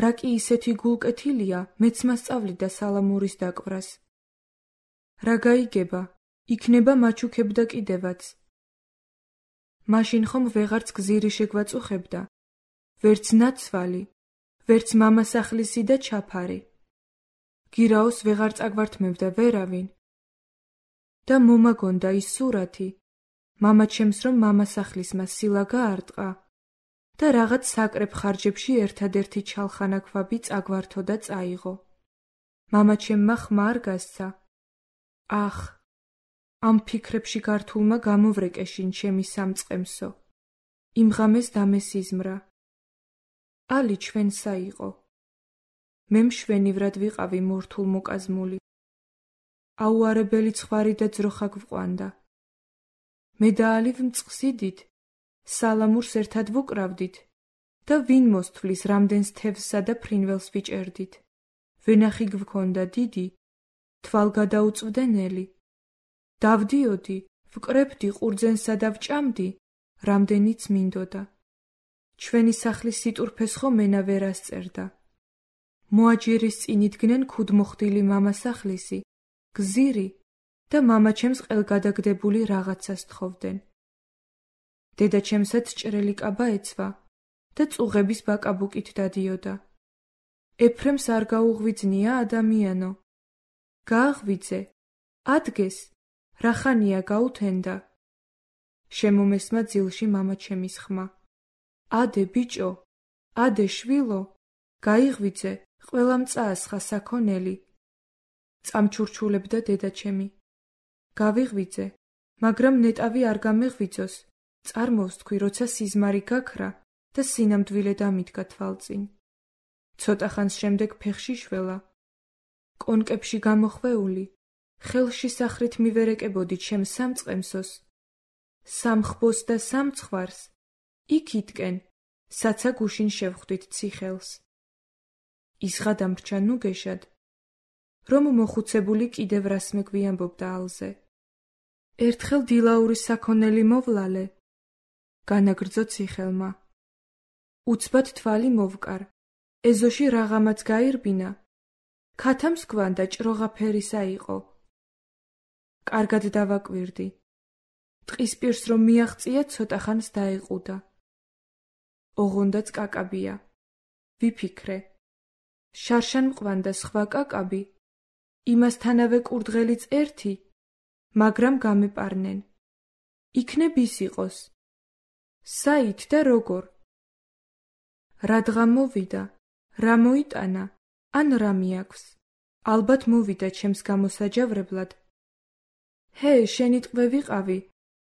რა კი ისეთი გულკეთილია, მეც მასწავლიდა სალამურის დაკვრას. რა გაიგება, იქნება მაჩუქებდა კიდევაც. მაშინ ხომ ვეღარც გზირი შეგვაწუხებდა, ვერც ნაცვალი, ვერც მამასახლისი და ჩაფარი. გირაოს ვეღარ წაგვართმევდა ვერავინ. და მომაგონდა ის სურათი, მამა ჩემს რომ მამასახლისმა სილა გაარტყა და რაღაც საკრებ ხარჯებში ერთადერთი ჩალხანაქვაბი წაგვართო და წაიღო. მამაჩემმა ხმა არ გასცა. ახ, ამ ფიქრებში გართულმა გამოვრეკეშინ ჩემი სამწყემსო. იმ ღამეს დამესიზმრა. ალი ჩვენსა იყო. მე მშვენივრად ვიყავი მორთულ მოკაზმული. აუარებელი ცხვარი და ძროხა გვყვანდა. მე და ალი ვმწყსიდით, სალამურს ერთად ვუკრავდით და ვინ მოსთვლის რამდენს თევზსა და ფრინველს ვიჭერდით. ვენახი გვქონდა დიდი, თვალ გადაუწვდენელი. დავდიოდი, ვკრებდი ყურძენსა და ვჭამდი, რამდენიც მინდოდა. ჩვენი სახლის სიტურფეს ხო მენა ვერ ასწერდა. მოაჯირის წინ იდგნენ ქუდმოხდილი მამასახლისი, გზირი და მამაჩემს ყელგადაგდებული რაღაცა სთხოვდნენ. დედაჩემსაც ჭრელი კაბა ეცვა და წუღების ბაკაბუკით დადიოდა. ეფრემს არ გაუღვიძნია ადამიანო. გააღვიძე, ადგეს, რახანია გაუთენდა. შემომესმა ძილში მამაჩემის ხმა. ადე ბიჭო, ადე შვილო, გაიღვიძე, ყველამ წაასხა საქონელი. წამჩურჩულებდა დედაჩემი. გავიღვიძე, მაგრამ ნეტავი არ გამეღვიძოს. წარმოვსთქვი, როცა სიზმარი გაქრა და სინამდვილე დამიდგა თვალწინ. ცოტა ხანს შემდეგ ფეხში შველა. კონკებში გამოხვეული, ხელში სახრით მივერეკებოდი ჩემ სამწყემსოს. სამხბოს და სამცხვარს, იქითკენ, საცა გუშინ შევხვდით ციხელს. ისღა დამრჩა ნუგეშად, რომ მოხუცებული კიდევ რას მეგვიამბობდა ალზე. ერთხელ დილაურის საქონელი მოვლალე, განაგრძო ციხელმა. უცბად თვალი მოვკარ, ეზოში რაღაცაც გაირბინა, ქათამს გვანდა ჭროღაფერისა იყო. კარგად დავაკვირდი. ტყის პირს რომ მიაღწია, ცოტა ხანს დაეყუდა. ოღონდაც კაკაბია. ვიფიქრე. შარშან მყვანდა სხვა კაკაბი, იმასთანავე კურდღელიც ერთი, მაგრამ გამეპარნენ. იქნებ ის იყოს. საით და როგორ? რადგან მოვიდა, რა მოიტანა, ან რა მიაქვს? ალბათ მოვიდა ჩემს გამოსაჯავრებლად. ჰე, შენი ტყვე ვიყავი,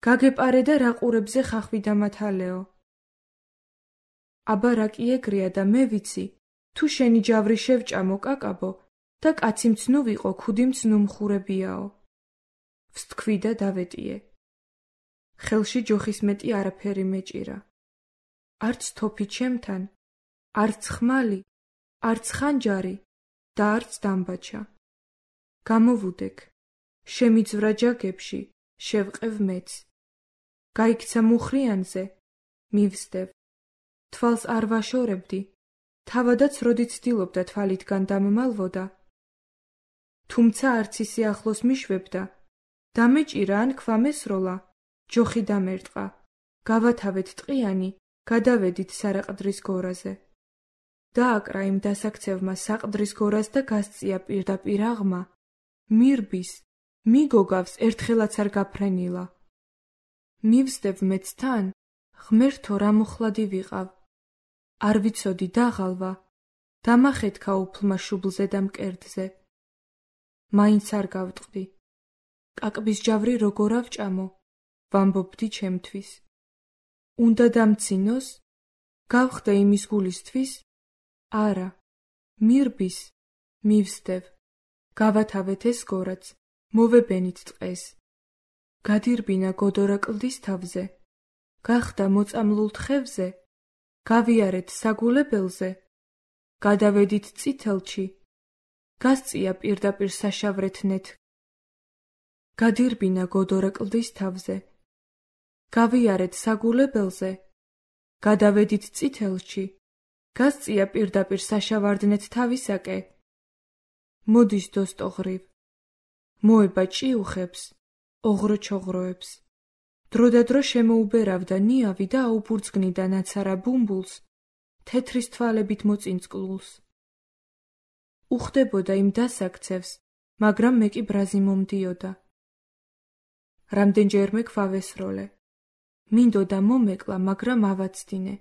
გაგეპარე და რა ყურებზე ხახვი დამათალეო. აბა რა კი ეგრეა და მე ვიცი, თუ შენი ჯავრი შევჭამო კაკაბო და კაცი მცნუ ვიყო, ქუდი მცნუ მხურებიაო. ვსთქვი და დავეტიე. ხელში ჯოხის მეტი არაფერი მეჭირა. არც თოფი ჩემთან, არც ხმალი, არც ხანჯარი და არც დამბაჩა. გამოვუდექ, შემიძვრა ჯაგებში, შევყევ მეც. გაიქცა მუხრიანზე, მივსდევ. თვალს არ ვაშორებდი, თავადაც როდი ცდილობდა თვალითგან დამმალვოდა. თუმცა არც ისე ახლოს მიშვებდა, დამეჭირა ან ქვა მესროლა, ჯოხი დამერტყა, გავათავეთ ტყიანი, გადავედით სარაყდრის გორაზე. დააკრა იმ დასაქცევმა საყდრის გორას და გასწია პირდაპირ აღმა, მირბის, მიგოგავს ერთხელაც არ გაფრენილა. მივსდევ მეც თან, ღმერთო რა მოხლადი ვიყავ. არ ვიცოდი დაღალვა, დამახეთქა უფლმა შუბლზე და მკერდზე. მაინც არ გავტყდი. კაკბის ჯავრი როგორ ავჭამო, ვამბობდი ჩემთვის. უნდა დამცინოს, გავხდე იმის გულისთვის? არა, მირბის, მივსდევ. გავათავეთ ეს გორაც, მოვებენით ტყეს. გადირბინა გოდორა კლდის თავზე. გახდა მოწამლულ თხევზე, გავიარეთ საგულებელზე, გადავედით წითელში, გასწია პირდაპირ საშავრეთნეთ. გადირბინა გოდორა კლდის თავზე, გავიარეთ საგულებელზე, გადავედით წითელში, გასწია პირდაპირ საშავარდნეთ თავისაკე. მოდის დოსტოღრივ, მოება ჭიუხებს, ოღროჩოღროებს. დროდადრო შემოუბერავდა ნიავი და აუბურძგნიდა ნაცარა ბუმბულს, თეთრის თვალებით მოწინწკლულს. უხდებოდა იმ დასაქცევს, მაგრამ მე კი ბრაზი მომდიოდა. რამდენჯერმე ქვავესროლე. მინდოდა მომეკლა, მაგრამ ავაცდინე.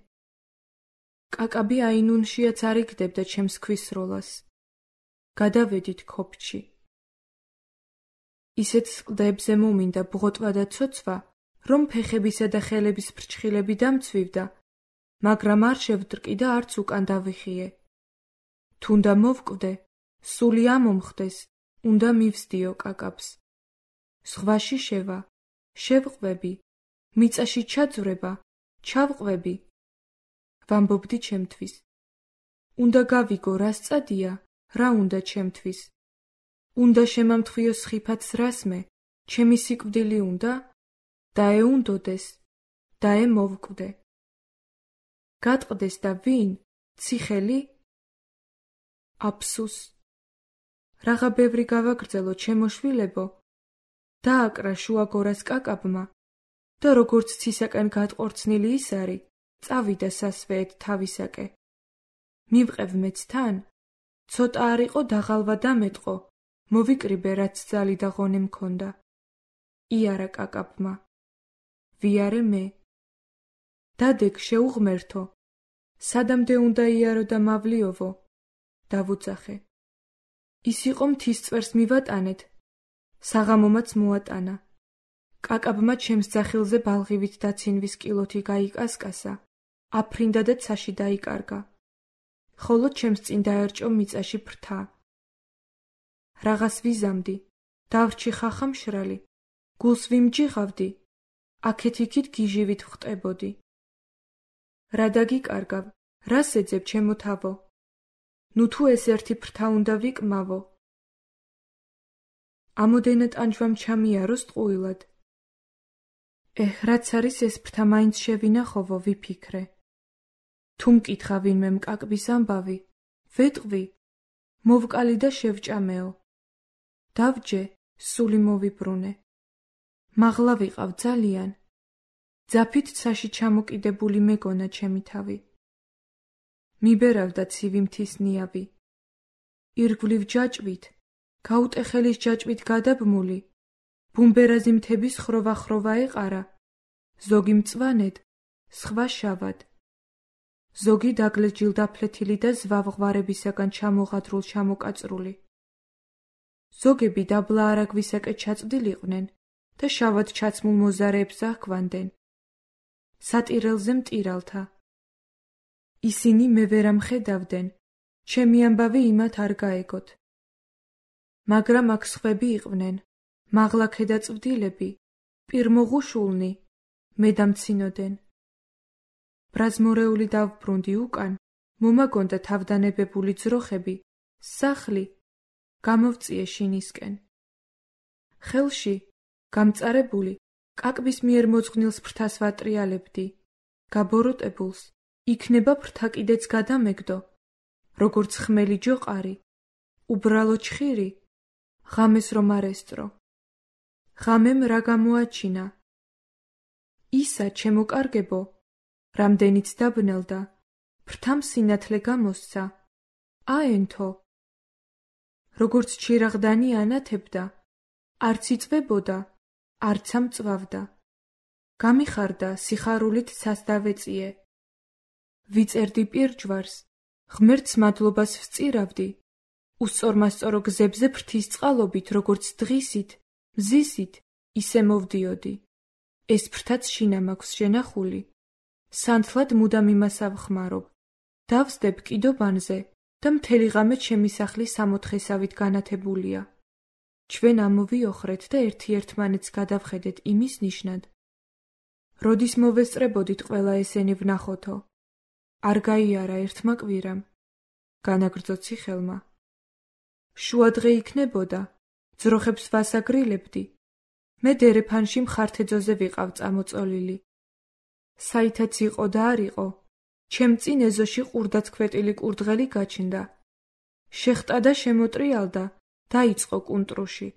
კაკაბი აინუნშიაც არ იგდებდა ჩემს ქვისროლას. გადავედით ქოფჩი. ისეთ სკლდებზე მომინდა ბღოტვა და ცოცვა, რომ ფეხებისა და ხელების ფრჩხილები დამცვივდა, მაგრამ არ შევდრკი და არც უკან დავიხიე. თუნდა მოვკვდე, სული ამომხდეს, უნდა მივსდიო კაკაბს. ზღვაში შევა, შევყვები, მიწაში ჩაძვრება, ჩავყვები. ვამბობდი ჩემთვის. უნდა გავიგო, რა სწადია, რა უნდა ჩემთვის. უნდა შემამთხვიო სხიფათს რასმე, ჩემი სიკვდილი უნდა, დაეუნდოდეს, დაემოვკვდე. გატყდეს და ვინ? ციხელი? აფსუს. რაღა ბევრი გავაგრძელო, ჩემო შვილებო. დააკრა შუაგორას კაკაბმა და როგორც ცისაკენ გატყორცნილი ის არის, წავიდა სასვეეთ თავისაკე. მივყევ მეც თან, ცოტა არ იყო დაღალვა დამეტყო, მოვიკრიბე რაც ძალი და ღონე მქონდა. იარა კაკაბმა. ვიარე მე. დადეგ შეუღმერთო, სადამდე უნდა იარო და მავლიოვო. დავუძახე. ის იყო მთის წვერს მივატანეთ, საღამომაც მოატანა. კაკაბმა ჩემს ძახილზე ბალღივით დაცინვის კილოთი გაიკასკასა, აფრინდა და ცაში დაიკარგა. ხოლო ჩემს წინ დაერჭო მიწაში ფრთა. რაღაც ვიზამდი, დავრჩი ხახამშრალი, გულს ვიმჯიღავდი, აქეთ-იქით გიჟივით ვხტებოდი. რა დაგიკარგავ, რას ეძებ ჩემო თავო? ნუ თუ ეს ერთი ფრთა უნდა ვიკმავო. ამოდენა ტანჯვამ ჩამიაროს ტყუილად. ეჰ, რაც არის ეს ფრთა მაინც შევინახოვო, ვიფიქრე. თუ მკითხა ვინმე მკაკბის ამბავი, ვეტყვი, მოვკალი და შევჭამეო. დავჯე, სული მოვიბრუნე. მაღლა ვიყავ ძალიან. ძაფით ცაში ჩამოკიდებული მეგონა ჩემი თავი. მიბერავდა ცივი მთის ნიავი. ირგვლივ ჯაჭვით, გაუტეხელის ჯაჭვით გადაბმული, ბუმბერაზი მთების ხროვა-ხროვა ეყარა, ზოგი მწვანედ, სხვა შავად. ზოგი დაგლეჯილ დაფლეთილი და ზვავღვარებისაგან ჩამოღადრულ ჩამოკაწრული. ზოგები დაბლა არაგვისაკე ჩაწვდილიყვნენ და შავად ჩაცმულ მოზარეებს აჰქვამდნენ. სატირელზე მტირალთა. ისინი მე ვერ ამხედავდნენ, ჩემი ამბავი იმათ არ გაეგოთ. მაგრამ აქ სხვები იყვნენ, მაღლა ქედაწვდილები, პირმოღუშულნი, მე დამცინოდენ. ბრაზმორეული დავბრუნდი უკან, მომაგონდა თავდანებებული ძროხები, სახლი, გამოვწიე შინისკენ. ხელში, გამწარებული, კაკბის მიერ მოძღვნილს ფრთას ვატრიალებდი, გაბოროტებულს, იქნება ფრთა კიდეც გადამეგდო, როგორც ხმელი ჯოყარი, უბრალო ჩხირი, ღამეს რომ არ ესწრო. ღამემ რა გამოაჩინა? ისა, ჩემო კარგებო, რამდენიც დაბნელდა, ფრთამ სინათლე გამოსცა, აენთო. როგორც ჩირაღდანი ანათებდა, არც იწვებოდა, არც ამწვავდა. გამიხარდა, სიხარულით ცას დავეწიე. ვიწერდი პირჯვარს, ღმერთს მადლობას ვწირავდი, უსწორმასწორო გზებზე ფრთის წყალობით, როგორც დღისით, მზისით, ისე მოვდიოდი. ეს ფრთაც შინა მაქვს შენახული. სანთლად მუდამ იმას ავხმარობ. დავსდებ კიდობანზე და მთელი ღამე ჩემი სახლი სამოთხესავით განათებულია. ჩვენ ამოვიოხრეთ და ერთი-ერთმანეთს გადავხედეთ იმის ნიშნად. როდის მოვესწრებოდით ყველა ესენი ვნახოთო? არ გაიარა ერთმა კვირამ. განაგრძო ციხელმა. შუადღე იქნებოდა, ძროხებს ვასაგრილებდი. მე დერეფანში მხართეძოზე ვიყავ წამოწოლილი. საითაც იყო და არ იყო, ჩემ წინ ეზოში ყურდაცქვეტილი კურდღელი გაჩნდა. შეხტა და შემოტრიალდა, დაიწყო კუნტრუში.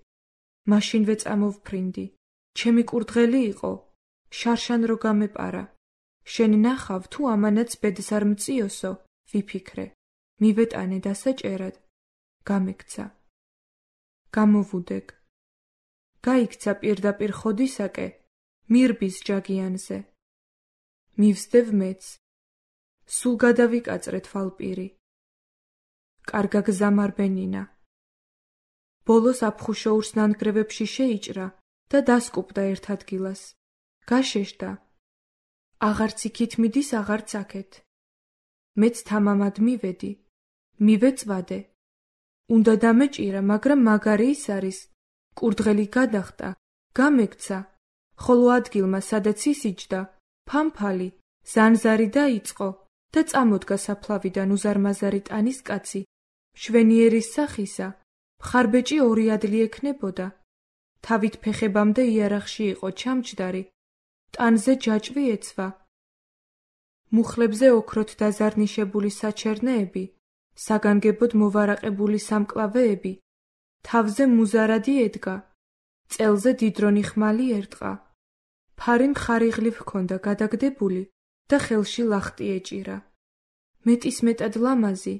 მაშინვე წამოვფრინდი. ჩემი კურდღელი იყო, შარშან რო გამეპარა. შენ ნახავ, თუ ამანაც ბედს არ მწიოსო, ვიფიქრე. მივეტანე დასაჭერად. გამექცა. გამოვუდეგ. გაიქცა პირდაპირ ხოდისაკე, მირბის ჯაგიანზე. მივსდევ მეც. სულ გადავიკაწრე თვალპირი. კარგა გზამარბე ნინა. ბოლოს აფხუშოურს ნანგრევებში შეიჭრა და დასკუპდა ერთ ადგილას. გაშეშდა. აღარც იქით მიდის, აღარც აქეთ. მეც თამამად მივედი. მივეწვადე. უნდა დამეჭირა, მაგრამ მაგარი ის არის. კურდღელი გადახტა, გამექცა, ხოლო ადგილმა, სადაც ისიჯდა, ფამფალი, ზანზარი დაიწყო და წამოდგა საფლავიდან უზარმაზარი ტანის კაცი, მშვენიერის სახისა, მხარბეჭი ორი ადლი ექნებოდა. თავით ფეხებამდე იარაღში იყო ჩამჯდარი, ტანზე ჯაჭვი ეცვა. მუხლებზე ოქროთ დაზარნიშებული საჩერნეები, საგანგებოდ მოვარაყებული სამკლავეები, თავზე მუზარადი ედგა, წელზე დიდრონი ხმალი ერტყა. ფარი მხარიღლივ ჰქონდა გადაგდებული და ხელში ლახტი ეჭირა. მეტისმეტად ლამაზი,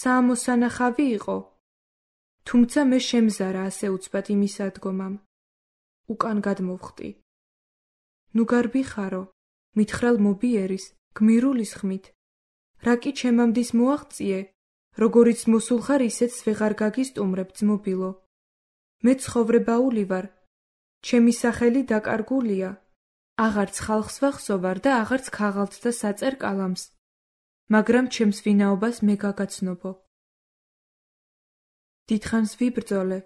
საამოსანახავი იყო. თუმცა მე შემზარა ასე უცბად იმის ადგომამ. უკან გადმოვხტი. ნუ გარბიხარო, მითხრალ მობიერის, გმირულის ხმით. რა კი ჩემამდის მოაღწიე, როგორიც მოსულ ხარ, ისეც ვეღარ გაგისტუმრებ ძმობილო. მე ცხოვრებაული ვარ, ჩემი სახელი დაკარგულია. აღარც ხალხს ვახსოვარ და აღარც ქაღალდს და საწერ კალამს. მაგრამ ჩემს ვინაობას მე გაგაცნობო. დიდხანს ვიბრძოლე,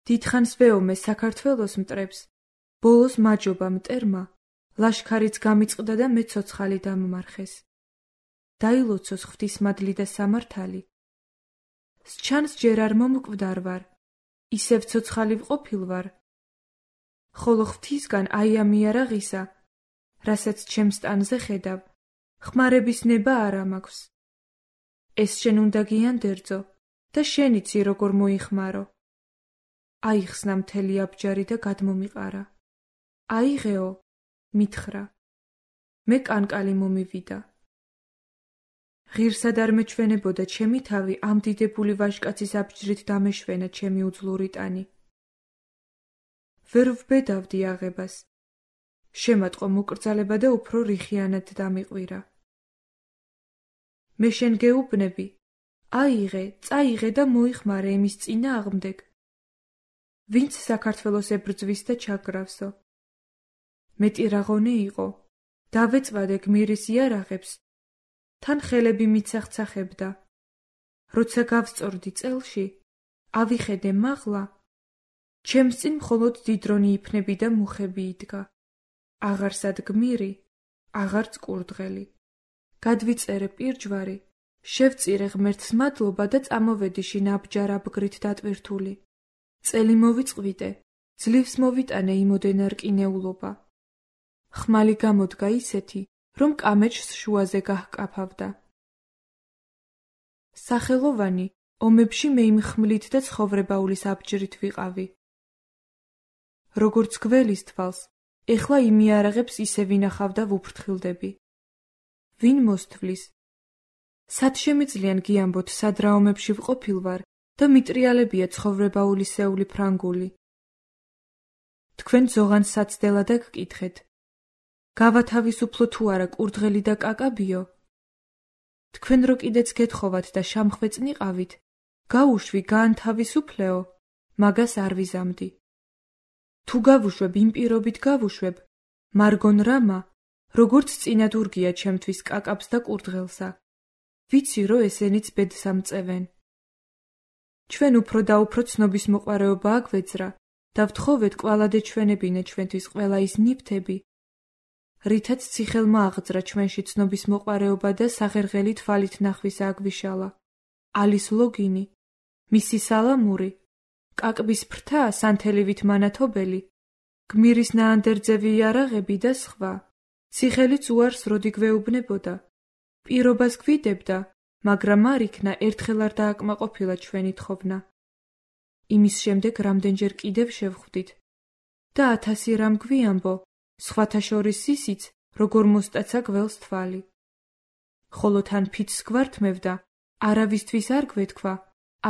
დიდხანს ვეომე საქართველოს მტრებს, ბოლოს მაჯობა მტერმა, ლაშქარიც გამიწყდა და მე ცოცხალი დამმარხეს. დაილოცოს ღვთისმადლი და სამართალი. სჩანს ჯერ არ მომკვდარ ვარ, ისევ ცოცხალი ვყოფილ ვარ. ხოლო ღვთისგან აი ამ იარაღისა, რასაც ჩემს ტანზე ხედავ, ხმარების ნება არ ამაქვს. ეს შენ უნდა გიანდერძო და შენიცი როგორ მოიხმარო. აიხსნა მთელი აბჯარი და გადმომიყარა. აიღეო, მითხრა. მე კანკალი მომივიდა. ღირსად არ მეჩვენებოდა ჩემი თავი ამ დიდებული ვაჟკაცის აბჯრით დამეშვენა ჩემი უძლური ტანი. ვერ ვბედავდი აღებას. შემატყო მოკრძალება და უფრო რიხიანად დამიყვირა. მე შენ გეუბნები, აიღე, წაიღე და მოიხმარე იმის წინააღმდეგ. ვინც საქართველოს ებრძვის და ჩაგრավსო. მეტი რაღონე იყო, დავეწვადე გმირის იარაღებს, თან ხელები მიცახცახებდა. როცა გავსწორდი წელში, ავიხედე მაღლა, ჩემს წინ მხოლოდ დიდრონი იფნები და მუხები იდგა. აღარსად გმირი, აღარც კურდღელი. გადვიწერე პირჯვარი, შევწირე ღმერთს მადლობა და წამოვედიში ნაბჯარ აბგრით დატვირთული. წელი მოვიწყვიტე, ძლივს მოვიტანე იმოდენა რკინეულობა. ხმალი გამოდგა ისეთი, რომ კამეჩს შუაზე გაჰკაფავდა. სახელოვანი, ომებში მე იმ ხმლით და ცხოვრებაულის აბჯრით ვიყავი. როგორც გველის თვალს, ეხლა იმ იარაღებს ისე ვინახავ და ვუფრთხილდები. ვინ მოსთვლის? სად შემიძლიან გიამბოთ, სად რა ომებში ვყოფილ ვარ და მიტრიალებია ცხოვრებაულისეული ფრანგული. თქვენ ზოღანს საცდელა და გკითხეთ. გავათავისუფლო თუ არა კურდღელი და კაკაბიო? თქვენ რო კიდეც გეთხოვათ და შამხვეწნიყავით, გაუშვი გაანთავისუფლეო, მაგას არ ვიზამდი. თუ გავუშვებ იმ პირობით გავუშვებ, მარგონ რამა, როგორც წინად ურგია ჩემთვის კაკაბს და კურდღელსა. ვიცი, რომ ესენიც ბედს ამწევენ. ჩვენ უფრო და უფრო ცნობის მოყვარეობა აგვეძრა და ვთხოვეთ კვალადე ჩვენებინე ჩვენთვის ყველა ის ნივთები, რითაც ციხელმა აღძრა ჩვენში ცნობის მოყვარეობა და საღერღელი თვალით ნახვის აგვიშალა. ალის ლოგინი, მისი სალამური, კაკბის ფრთა სანთელივით მანათობელი, გმირის ნაანდერძევი იარაღები და სხვა. ციხელიც უარს როდი გვეუბნებოდა. პირობას გვიდებდა, მაგრამ არ იქნა ერთხელ არ დააკმაყოფილა ჩვენი თხოვნა. იმის შემდეგ რამდენჯერ კიდევ შევხვდით და ათასი რამ გვიამბო, სხვათა შორის ისიც, როგორ მოსტაცა გველს თვალი. ხოლო თან ფიცს გვართმევდა, არავისთვის არ გვეთქვა,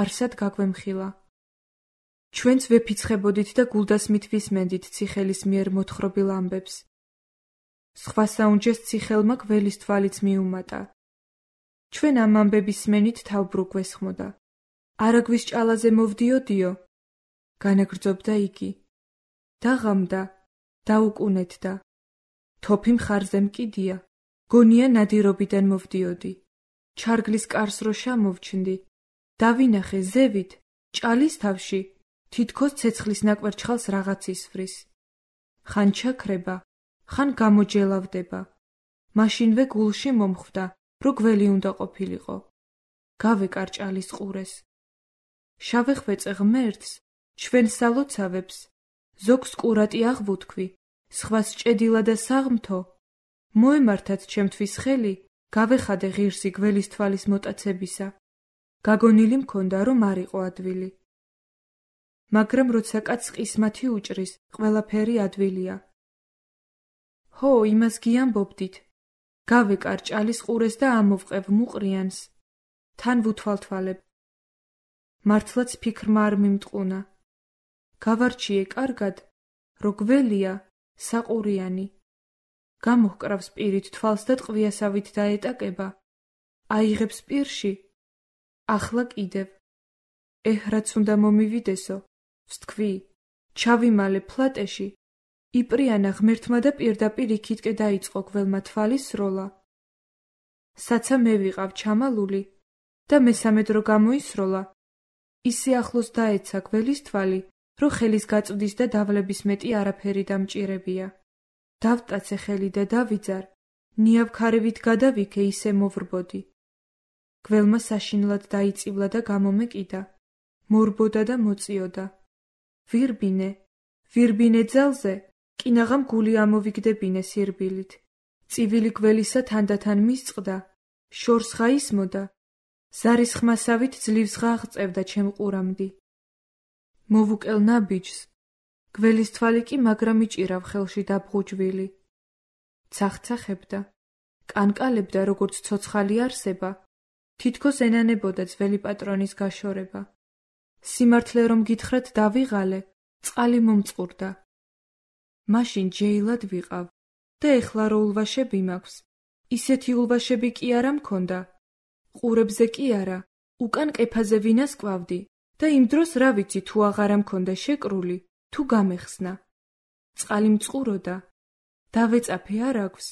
არსად გაგვემხილა. ჩვენც ვეფიცხებოდით და გულდასმით ვისმენდით ციხელის მიერ მოთხრობილ ამბებს. სხვა საუნჯეს ციხელმა გველის თვალიც მიუმატა ჩვენ ამ ამბების სმენით თავბრუк ვესხმოდა. არაგვის ჭალაზე მოვდიოდიო, განაგრძობდა იგი. დაღამდა, დაუკუნეთდა. თოფი მხარზე მკიდია, გონია ნადირობიდან მოვდიოდი. ჩარგლის კარს რო შემოვჩნდი, დავინახე ზევით, ჭალის თავში, თითქოს ცეცხლის ნაკვერჩხალს რაღაც ისვრის. ხან ჩაქრება, ხან გამოჯელავდება. მაშინვე გულში მომხვდა, რო გველი უნდა ყოფილიყო. გავეკარ ჭალის ყურეს. შავეხვეწე ღმერთს, ჩვენ სალოცავებს, ზოგს კურატი აღვუთქვი, სხვას ჭედილა და საღმთო. მოემართათ ჩემთვის ხელი, გავეხადე ღირსი გველის თვალის მოტაცებისა. გაგონილი მქონდა, რომ არ იყო ადვილი. მაგრამ როცა კაცს ყისმათი უჭრის, ყველაფერი ადვილია. ჰო, იმას გიამბობდით. გავეკარ ჭალის ყურეს და ამოვყევ მუყრიანს. თან ვუთვალთვალებ. მართლაც ფიქრმა არ მიმტყუნა. გავარჩიე კარგად, რო გველია, საყურიანი. გამოჰკრავს პირით თვალს და ტყვიასავით დაეტაკება. აიღებს პირში. ახლა კიდევ. ეჰ, რაც უნდა მომივიდესო, ვსთქვი, ჩავიმალე ფლატეში. იპრიანა ღმერთმა და პირდაპირ იქითკე დაიწყო გველმა თვალის სროლა. საცა მე ვიყავ ჩამალული და მესამე დრო გამოისროლა. ისე ახლოს დაეცა გველის თვალი, რომ ხელის გაწვდის და დავლების მეტი არაფერი დამჭირებია. დავტაცე ხელი და დავიძარ, ნიავქარევით გადავიქე, ისე მოვრბოდი. გველმა საშინლად დაიწივლა და გამომეკიდა. მორბოდა და მოწიოდა. ვირბინე, ვირბინე ძალზე, კინაღამ გული ამოვიგდებინე სირბილით. წივილი გველისა თანდათან მისწყდა, შორს ღაისმოდა. ზარის ხმასავით ძლივს ღაღწევდა ჩემ ყურამდი. მოვუკელ ნაბიჯს, გველის თვალი კი მაგრამ იჭირავ ხელში დაბღუჯვილი. ცახცახებდა, კანკალებდა როგორც ცოცხალი არსება, თითქოს ენანებოდა ძველი პატრონის გაშორება. სიმართლე რომ გითხრათ დავიღალე, წყალი მომწყურდა. მაშინ ჯეილად ვიყავ და ეხლა რო ულვაშები მაქვს, ისეთი ულვაშები კი არა მქონდა. ყურებზე კი არა, უკან ყეფაზე ვინას კვავდი და იმ დროს რა ვიცი თუ აღარა მქონდა შეკრული, თუ გამეხსნა. წყალი მწყუროდა, დავეწაფე არ აქვს,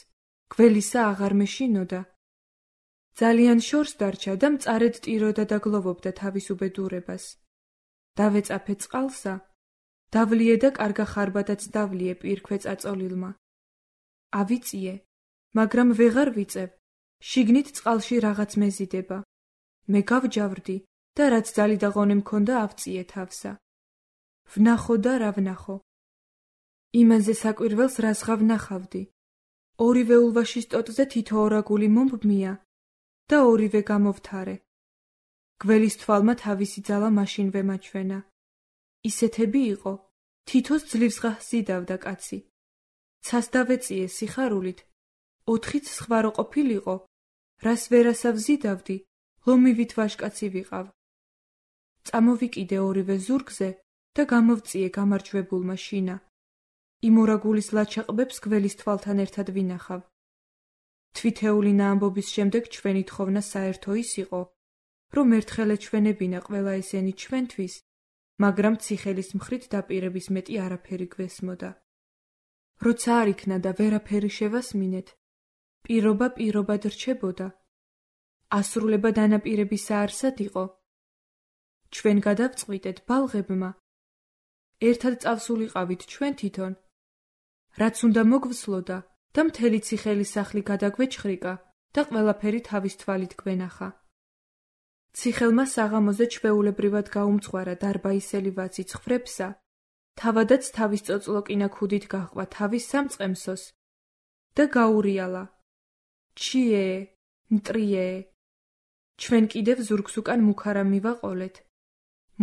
გველისა აღარ მეშინოდა. ძალიან შორს დარჩა და მწარედ ტიროდა და გლოვობდა თავის უბედურებას. დავეწაფე წყალსა, დავლიე და კარგა ხარბადაც დავლიე პირქვე წაწოლილმა. ავიწიე, მაგრამ ვეღარ ვიწევ, შიგნით წყალში რაღაც მეზიდება. მე გავჯავრდი და რაც ძალი და ღონე მქონდა ავწიე თავსა. ვნახო და რა ვნახო. იმაზე საკვირველს რაზღა ვნახავდი. ორივე ულვაშის ტოტზე თითო ორაგული მომბმია და ორივე გამოვთარე. გველის თვალმა თავისი ძალა მაშინვე მაჩვენა. ისეთები იყო, თითოს ძლივს ღასიდავდა კაცი. ცას დავეწიე სიხარულით, ოთხიც სხვა რო ყოფილიყო, რას ვერასავ ზიდავდი, ლომივით ვაშკაცი ვიყავ. წამოვიკიდე ორივე ზურგზე და გამოვწიე გამარჯვებულმა შინა. იმ ორაგულის ლაჩაყბებს გველის თვალთან ერთად ვინახავ. თვითეულინა ამბობის შემდეგ ჩვენი თხოვნა საერთო ის იყო, რომ ერთხელ ეჩვენებინა ყველა ესენი ჩვენთვის, მაგრამ ციხელის მხრით დაპირების მეტი არაფერი გვესმოდა. როცა არ იქნა და ვერაფერი შევასმინეთ, პირობა პირობად რჩებოდა. ასრულება დანაპირების საარსად იყო. ჩვენ გადავწყვიტეთ ბალღებმა. ერთად წავსულიყავით ჩვენ თვითონ. რაც უნდა მოგვსლოდა და მთელი ციხელის სახლი გადაგვეჩხრიკა და ყველაფერი თავის თვალით გვენახა. ციხელმა საღამოზე ჩვეულებრივად გაუმწვარა დარბაისელი ვაცი ცხრებსა, თავადაც თავის წოწლოკინა ქუდით გაჰყვა თავის სამწყემსოს და გაურიალა. ჩიე, მტრიე. ჩვენ კიდევ ზურგს უკან მუქარა მივაყოლეთ.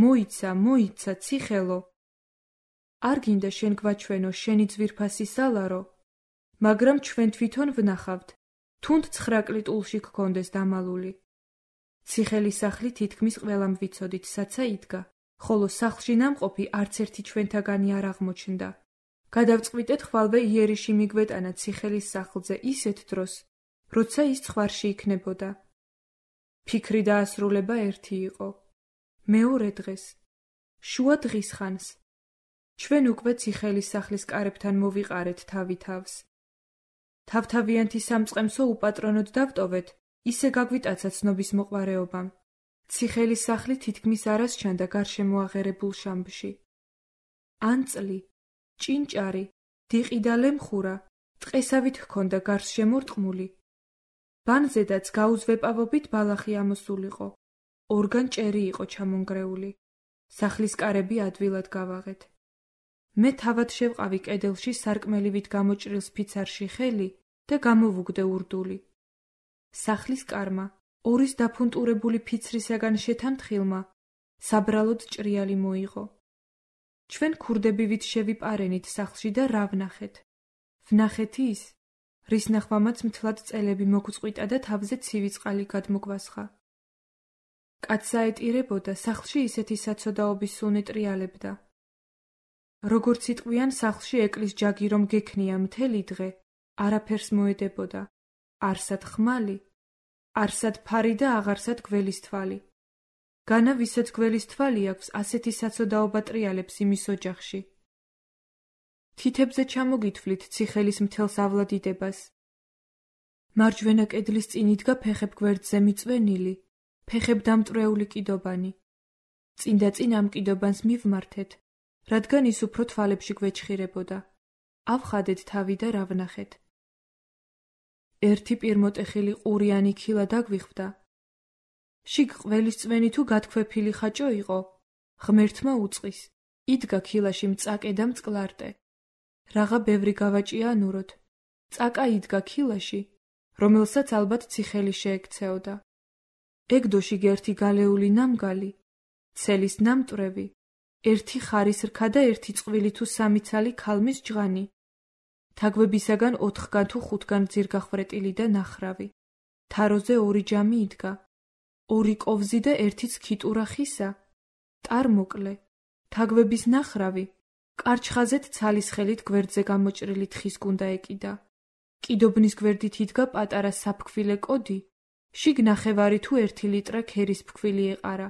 მოიცა, მოიცა, ციხელო. არ გინდა შენ გვაჩვენო შენი ძვირფასი სალარო, მაგრამ ჩვენ თვითონ ვნახავთ, თუნდ ცხრაკლი ტულში გქონდეს დამალული. ციხელის სახლი თითქმის ყველამ ვიცოდით, საცა იდგა, ხოლო სახლში ნამყოფი არც ერთი ჩვენთაგანი არ აღმოჩნდა. გადავწყვიტეთ ხვალვე იერიში მიგვეტანა ციხელის სახლზე ისეთ დროს, როცა ის ცხვარში იქნებოდა. ფიქრი და ასრულება ერთი იყო. მეორე დღეს, შუა დღის ხანს, ჩვენ უკვე ციხელის სახლის კარებთან მოვიყარეთ თავი თავს. თავთავიანთი სამწყემსო უპატრონოდ დავტოვეთ, ისე გაგვიტაცა ცნობის მოყვარეობამ. ციხელის სახლი თითქმის არას ჩანდა გარშემო აღერებულ შამბში. ანწლი, ჭინჭარი, დიყი და ლემხურა ტყესავით ჰქონდა გარს შემორტყმული. ბანზედაც გაუზვეპავობით ბალახი ამოსულიყო. ორგან ჭერი იყო ჩამონგრეული. სახლის კარები ადვილად გავაღეთ. მე თავად შევყავი კედელში სარკმელივით გამოჭრილ სფიცარში ხელი და გამოვუგდე ურდული. სახლის კარმა, ორის დაფუნტურებული ფიცრისაგან შეთანთხილმა, საბრალოდ ჭრიალი მოიღო. ჩვენ ქურდებივით შევიპარენით სახლში და რა ვნახეთ? ვნახეთ ის, რის ნახვამაც მთლად წელები მოგწყვიტა და თავზე ცივი წყალი გადმოგვასხა. კაცს აეტირებოდა, სახლში ისეთი საცოდაობის სუნი ტრიალებდა. როგორც იტყვიან, სახლში ეკლის ჯაგი რომ გექნია მთელი დღე, არაფერს მოედებოდა. არსად ხმალი, არსად ფარი და აღარსად გველის თვალი. განა ვისაც გველის თვალი აქვს, ასეთი საცოდაობა ტრიალებს იმის ოჯახში. თითებზე ჩამოგითვლით ციხელის მთელს ავლადიდებას. მარჯვენა კედლის წინ იდგა ფეხებ გვერდზე მიწვენილი, ფეხებ დამტვრეული კიდობანი. წინ და წინ ამ კიდობანს მივმართეთ, რადგან ის უფრო თვალებში გვეჩხირებოდა. ავხადეთ თავი და რა ვნახეთ? ერთი პირმოტეხილი ყურიანი ქილა დაგვიხვდა. შიგ ყველის წვენი თუ გათქვეფილი ხაჭო იყო, ღმერთმა უწყის, იდგა ქილაში მწაკე და მწყლარტე. რაღა ბევრი გავაჭია ანუროთ. წაკა იდგა ქილაში, რომელსაც ალბათ ციხელი შეექცეოდა. ეგდო შიგ ერთი გალეული ნამგალი, ცელის ნამტვრევი, ერთი ხარის რქა და ერთი წყვილი თუ სამი ცალი ქალმის ჯღანი. თაგვებისაგან ოთხგან თუ ხუთგან ძირგახვრეტილი და ნახრავი. თაროზე ორი ჯამი იდგა. ორი კოვზი და ერთიც ქიტურა ხისა. ტარ მოკლე. თაგვების ნახრავი. კარჩხაზეთ ცალის ხელით გვერდზე გამოჭრილი თხის გუნდა ეკიდა. კიდობნის გვერდით იდგა პატარა საფქვილე კოდი. შიგ ნახევარი თუ ერთი ლიტრა ქერის ფქვილი ეყარა.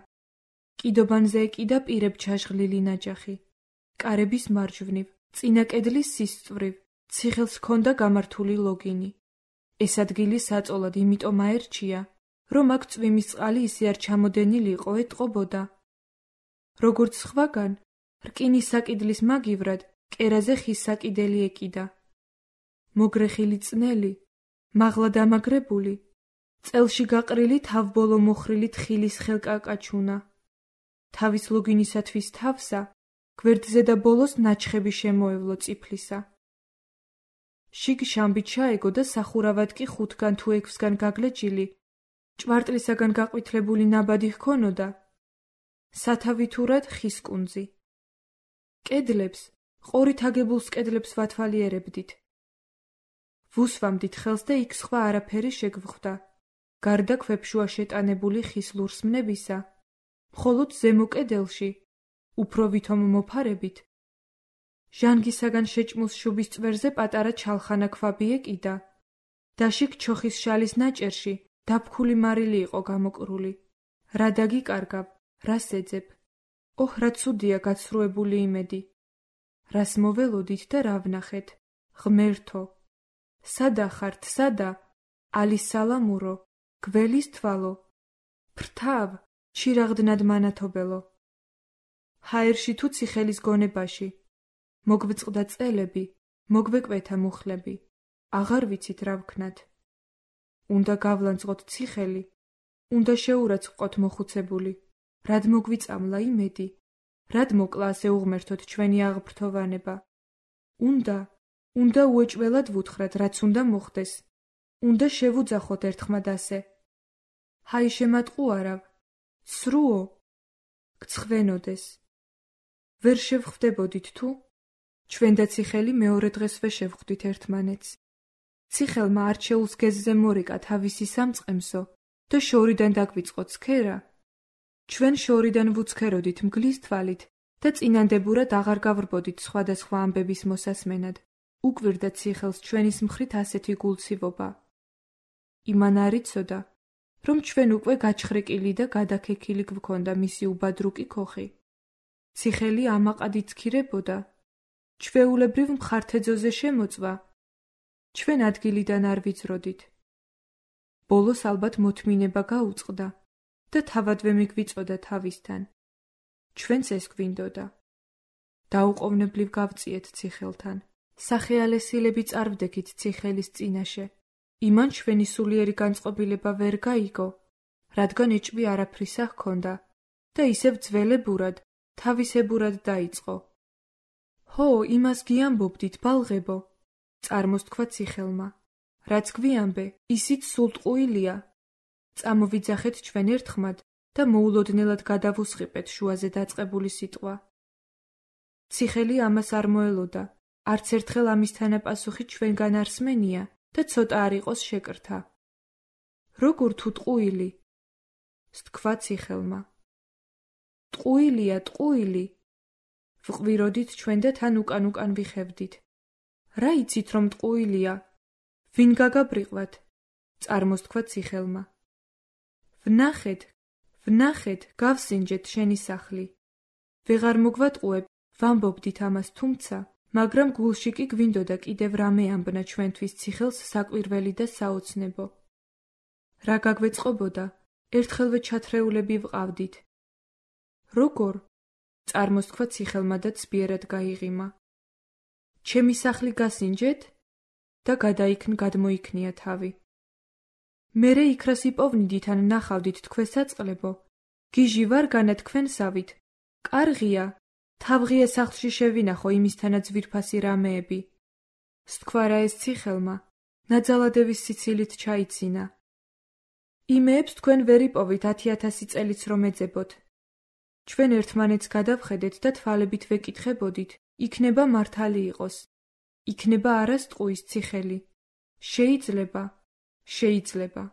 კიდობანზე ეკიდა პირებ ჩაჟღლილი ნაჯახი. კარების მარჯვნივ, წინა კედლის სისწვრივ, ციხელს ჰქონდა გამართული ლოგინი. ეს ადგილი საწოლად იმიტომ აერჩია, რომ აქ წვიმის წყალი ისე არ ჩამოდენილი იყო ეტყობოდა. როგორც სხვაგან, რკინის საკიდლის მაგივრად, კერაზე ხის საკიდელი ეკიდა. მოგრეხილი წნელი, მაღლა დამაგრებული, წელში გაყრილი თავბოლო მოხრილი თხილის ხელკაკაჩუნა. თავის ლოგინისათვის თავსა, გვერდზე და ბოლოს ნაჩხები შემოევლო წიფლისა. შიგ შამბი ჩაეგო და სახურავად კი ხუთგან თუ ექვსგან გაგლეჯილი, ჭვარტლისაგან გაყვითლებული ნაბადი ჰქონოდა. სათავითურად ხის კუნძი. კედლებს, ყორით აგებულს კედლებს ვათვალიერებდით. ვუსვამდით ხელს და იქ სხვა არაფერი შეგვხვდა. გარდა ქვებშუა შეტანებული ხის ლურსმნებისა, მხოლოდ ზემო კედელში, უფრო ვითომ მოფარებით, ჟანგისაგან შეჭმულს შუბის წვერზე პატარა ჩალხანა ქვაბი ეკიდა და შიგ ჩოხის შალის ნაჭერში დაფქული მარილი იყო გამოკრული. რა დაგიკარგავ, რას ეძებ? ოჰ, რა ცუდია გაცრუებული იმედი. რას მოველოდით და რა ვნახეთ? ღმერთო, სადა ხართ, სადა? ალის სალამურო, გველის თვალო, ფრთავ, ჩირაღდნად მანათობელო. ჰაერში თუ ციხელის გონებაში, მოგვწყდა წელები, მოგვეკვეთა მუხლები, აღარ ვიცით რა ვქნათ. უნდა გავლანძღოთ ციხელი, უნდა შეურაცხყოთ მოხუცებული, რად მოგვიწამლა იმედი, რად მოკლა ასე უღმერთოთ ჩვენი აღბრთოვანება. უნდა, უნდა უეჭველად ვუთხრათ, რაც უნდა მოხდეს, უნდა შევუძახოთ ერთხმად ასე. ჰაი შემატყუარავ, სრუო, გცხვენოდეს. ვერ შევხვდებოდით თუ? ჩვენ და ციხელი მეორე დღესვე შევხვდით ერთმანეთს. ციხელმა არჩეულს გეზზე მორიკა თავისი სამწყემსო და შორიდან დაგვიწყო ცქერა. ჩვენ შორიდან ვუცქეროდით მგლის თვალით და წინანდებურად აღარ გავრბოდით სხვადასხვა ამბების მოსასმენად. უკვირდა ციხელს ჩვენის მხრით ასეთი გულცივობა. იმან არ იცოდა, რომ ჩვენ უკვე გაჩხრეკილი და გადაქექილი გვქონდა მისი უბადრუკი ქოხი. ციხელი ამაყად იცქირებოდა, ჩვეულებრივ მხართეძოზე შემოწვა. ჩვენ ადგილიდან არ ვიწროდით. ბოლოს ალბათ მოთმინება გაუწყდა და თავადვე მიგვიწოდა თავისთან. ჩვენც ეს გვინდოდა. დაუყოვნებლივ გავწიეთ ციხელთან. სახეალესილები წარვდექით ციხელის წინაშე. იმან ჩვენი სულიერი განწყობილება ვერ გაიგო, რადგან ეჭვი არაფრისა ჰქონდა და ისევ ძველებურად, თავისებურად დაიწყო. ჰო, იმას გიამბობდით, ბალღებო, წარმოსთქვა ციხელმა. რაც გვიამბე, ისიც სულ ტყუილია. წამოვიძახეთ ჩვენ ერთხმად და მოულოდნელად გადავუსხიპეთ შუაზე დაწყებული სიტყვა. ციხელი ამას არ მოელოდა, არც ერთხელ ამის თანაპასუხი ჩვენგან არ სმენია და ცოტა არ იყოს შეკრთა. როგორ თუ ტყუილი? სთქვა ციხელმა. ტყუილია, ტყუილი. ვყვიროდით ჩვენ და თან უკან უკან ვიხევდით. რა იცით რომ ტყუილია? ვინ გაგაბრიყვათ? წარმოსთქვა ციხელმა. ვნახეთ, ვნახეთ, გავსინჯეთ შენი სახლი. ვეღარ მოგვატყუებ, ვამბობდით ამას, თუმცა, მაგრამ გულში კი გვინდოდა კიდევ რამე ამბნა ჩვენთვის ციხელს საკვირველი და საოცნებო. რა გაგვეწყობოდა, ერთხელვე ჩათრეულები ვყავდით. როგორ? წარმოსთქვა ციხელმა და ცბიერად გაიღიმა. ჩემი სახლი გასინჯეთ? და გადაიქნ გადმოიქნია თავი. მერე იქრას იპოვნიდით ან ნახავდით თქვენ საწყლებო. გიჟი ვარ განა თქვენსავით. კარღია, თავღია სახლში შევინახო იმისთანაც ვირფასი რამეები. სთქვა რა ეს ციხელმა, ნაძალადევის სიცილით ჩაიცინა. იმეებს თქვენ ვერ იპოვით ათი ათასი წელიც რომ ეძებოთ. ჩვენ ერთმანეთს გადავხედეთ და თვალებით ვეკითხებოდით, იქნება მართალი იყოს. იქნება არასტყუის ციხელი. შეიძლება, შეიძლება.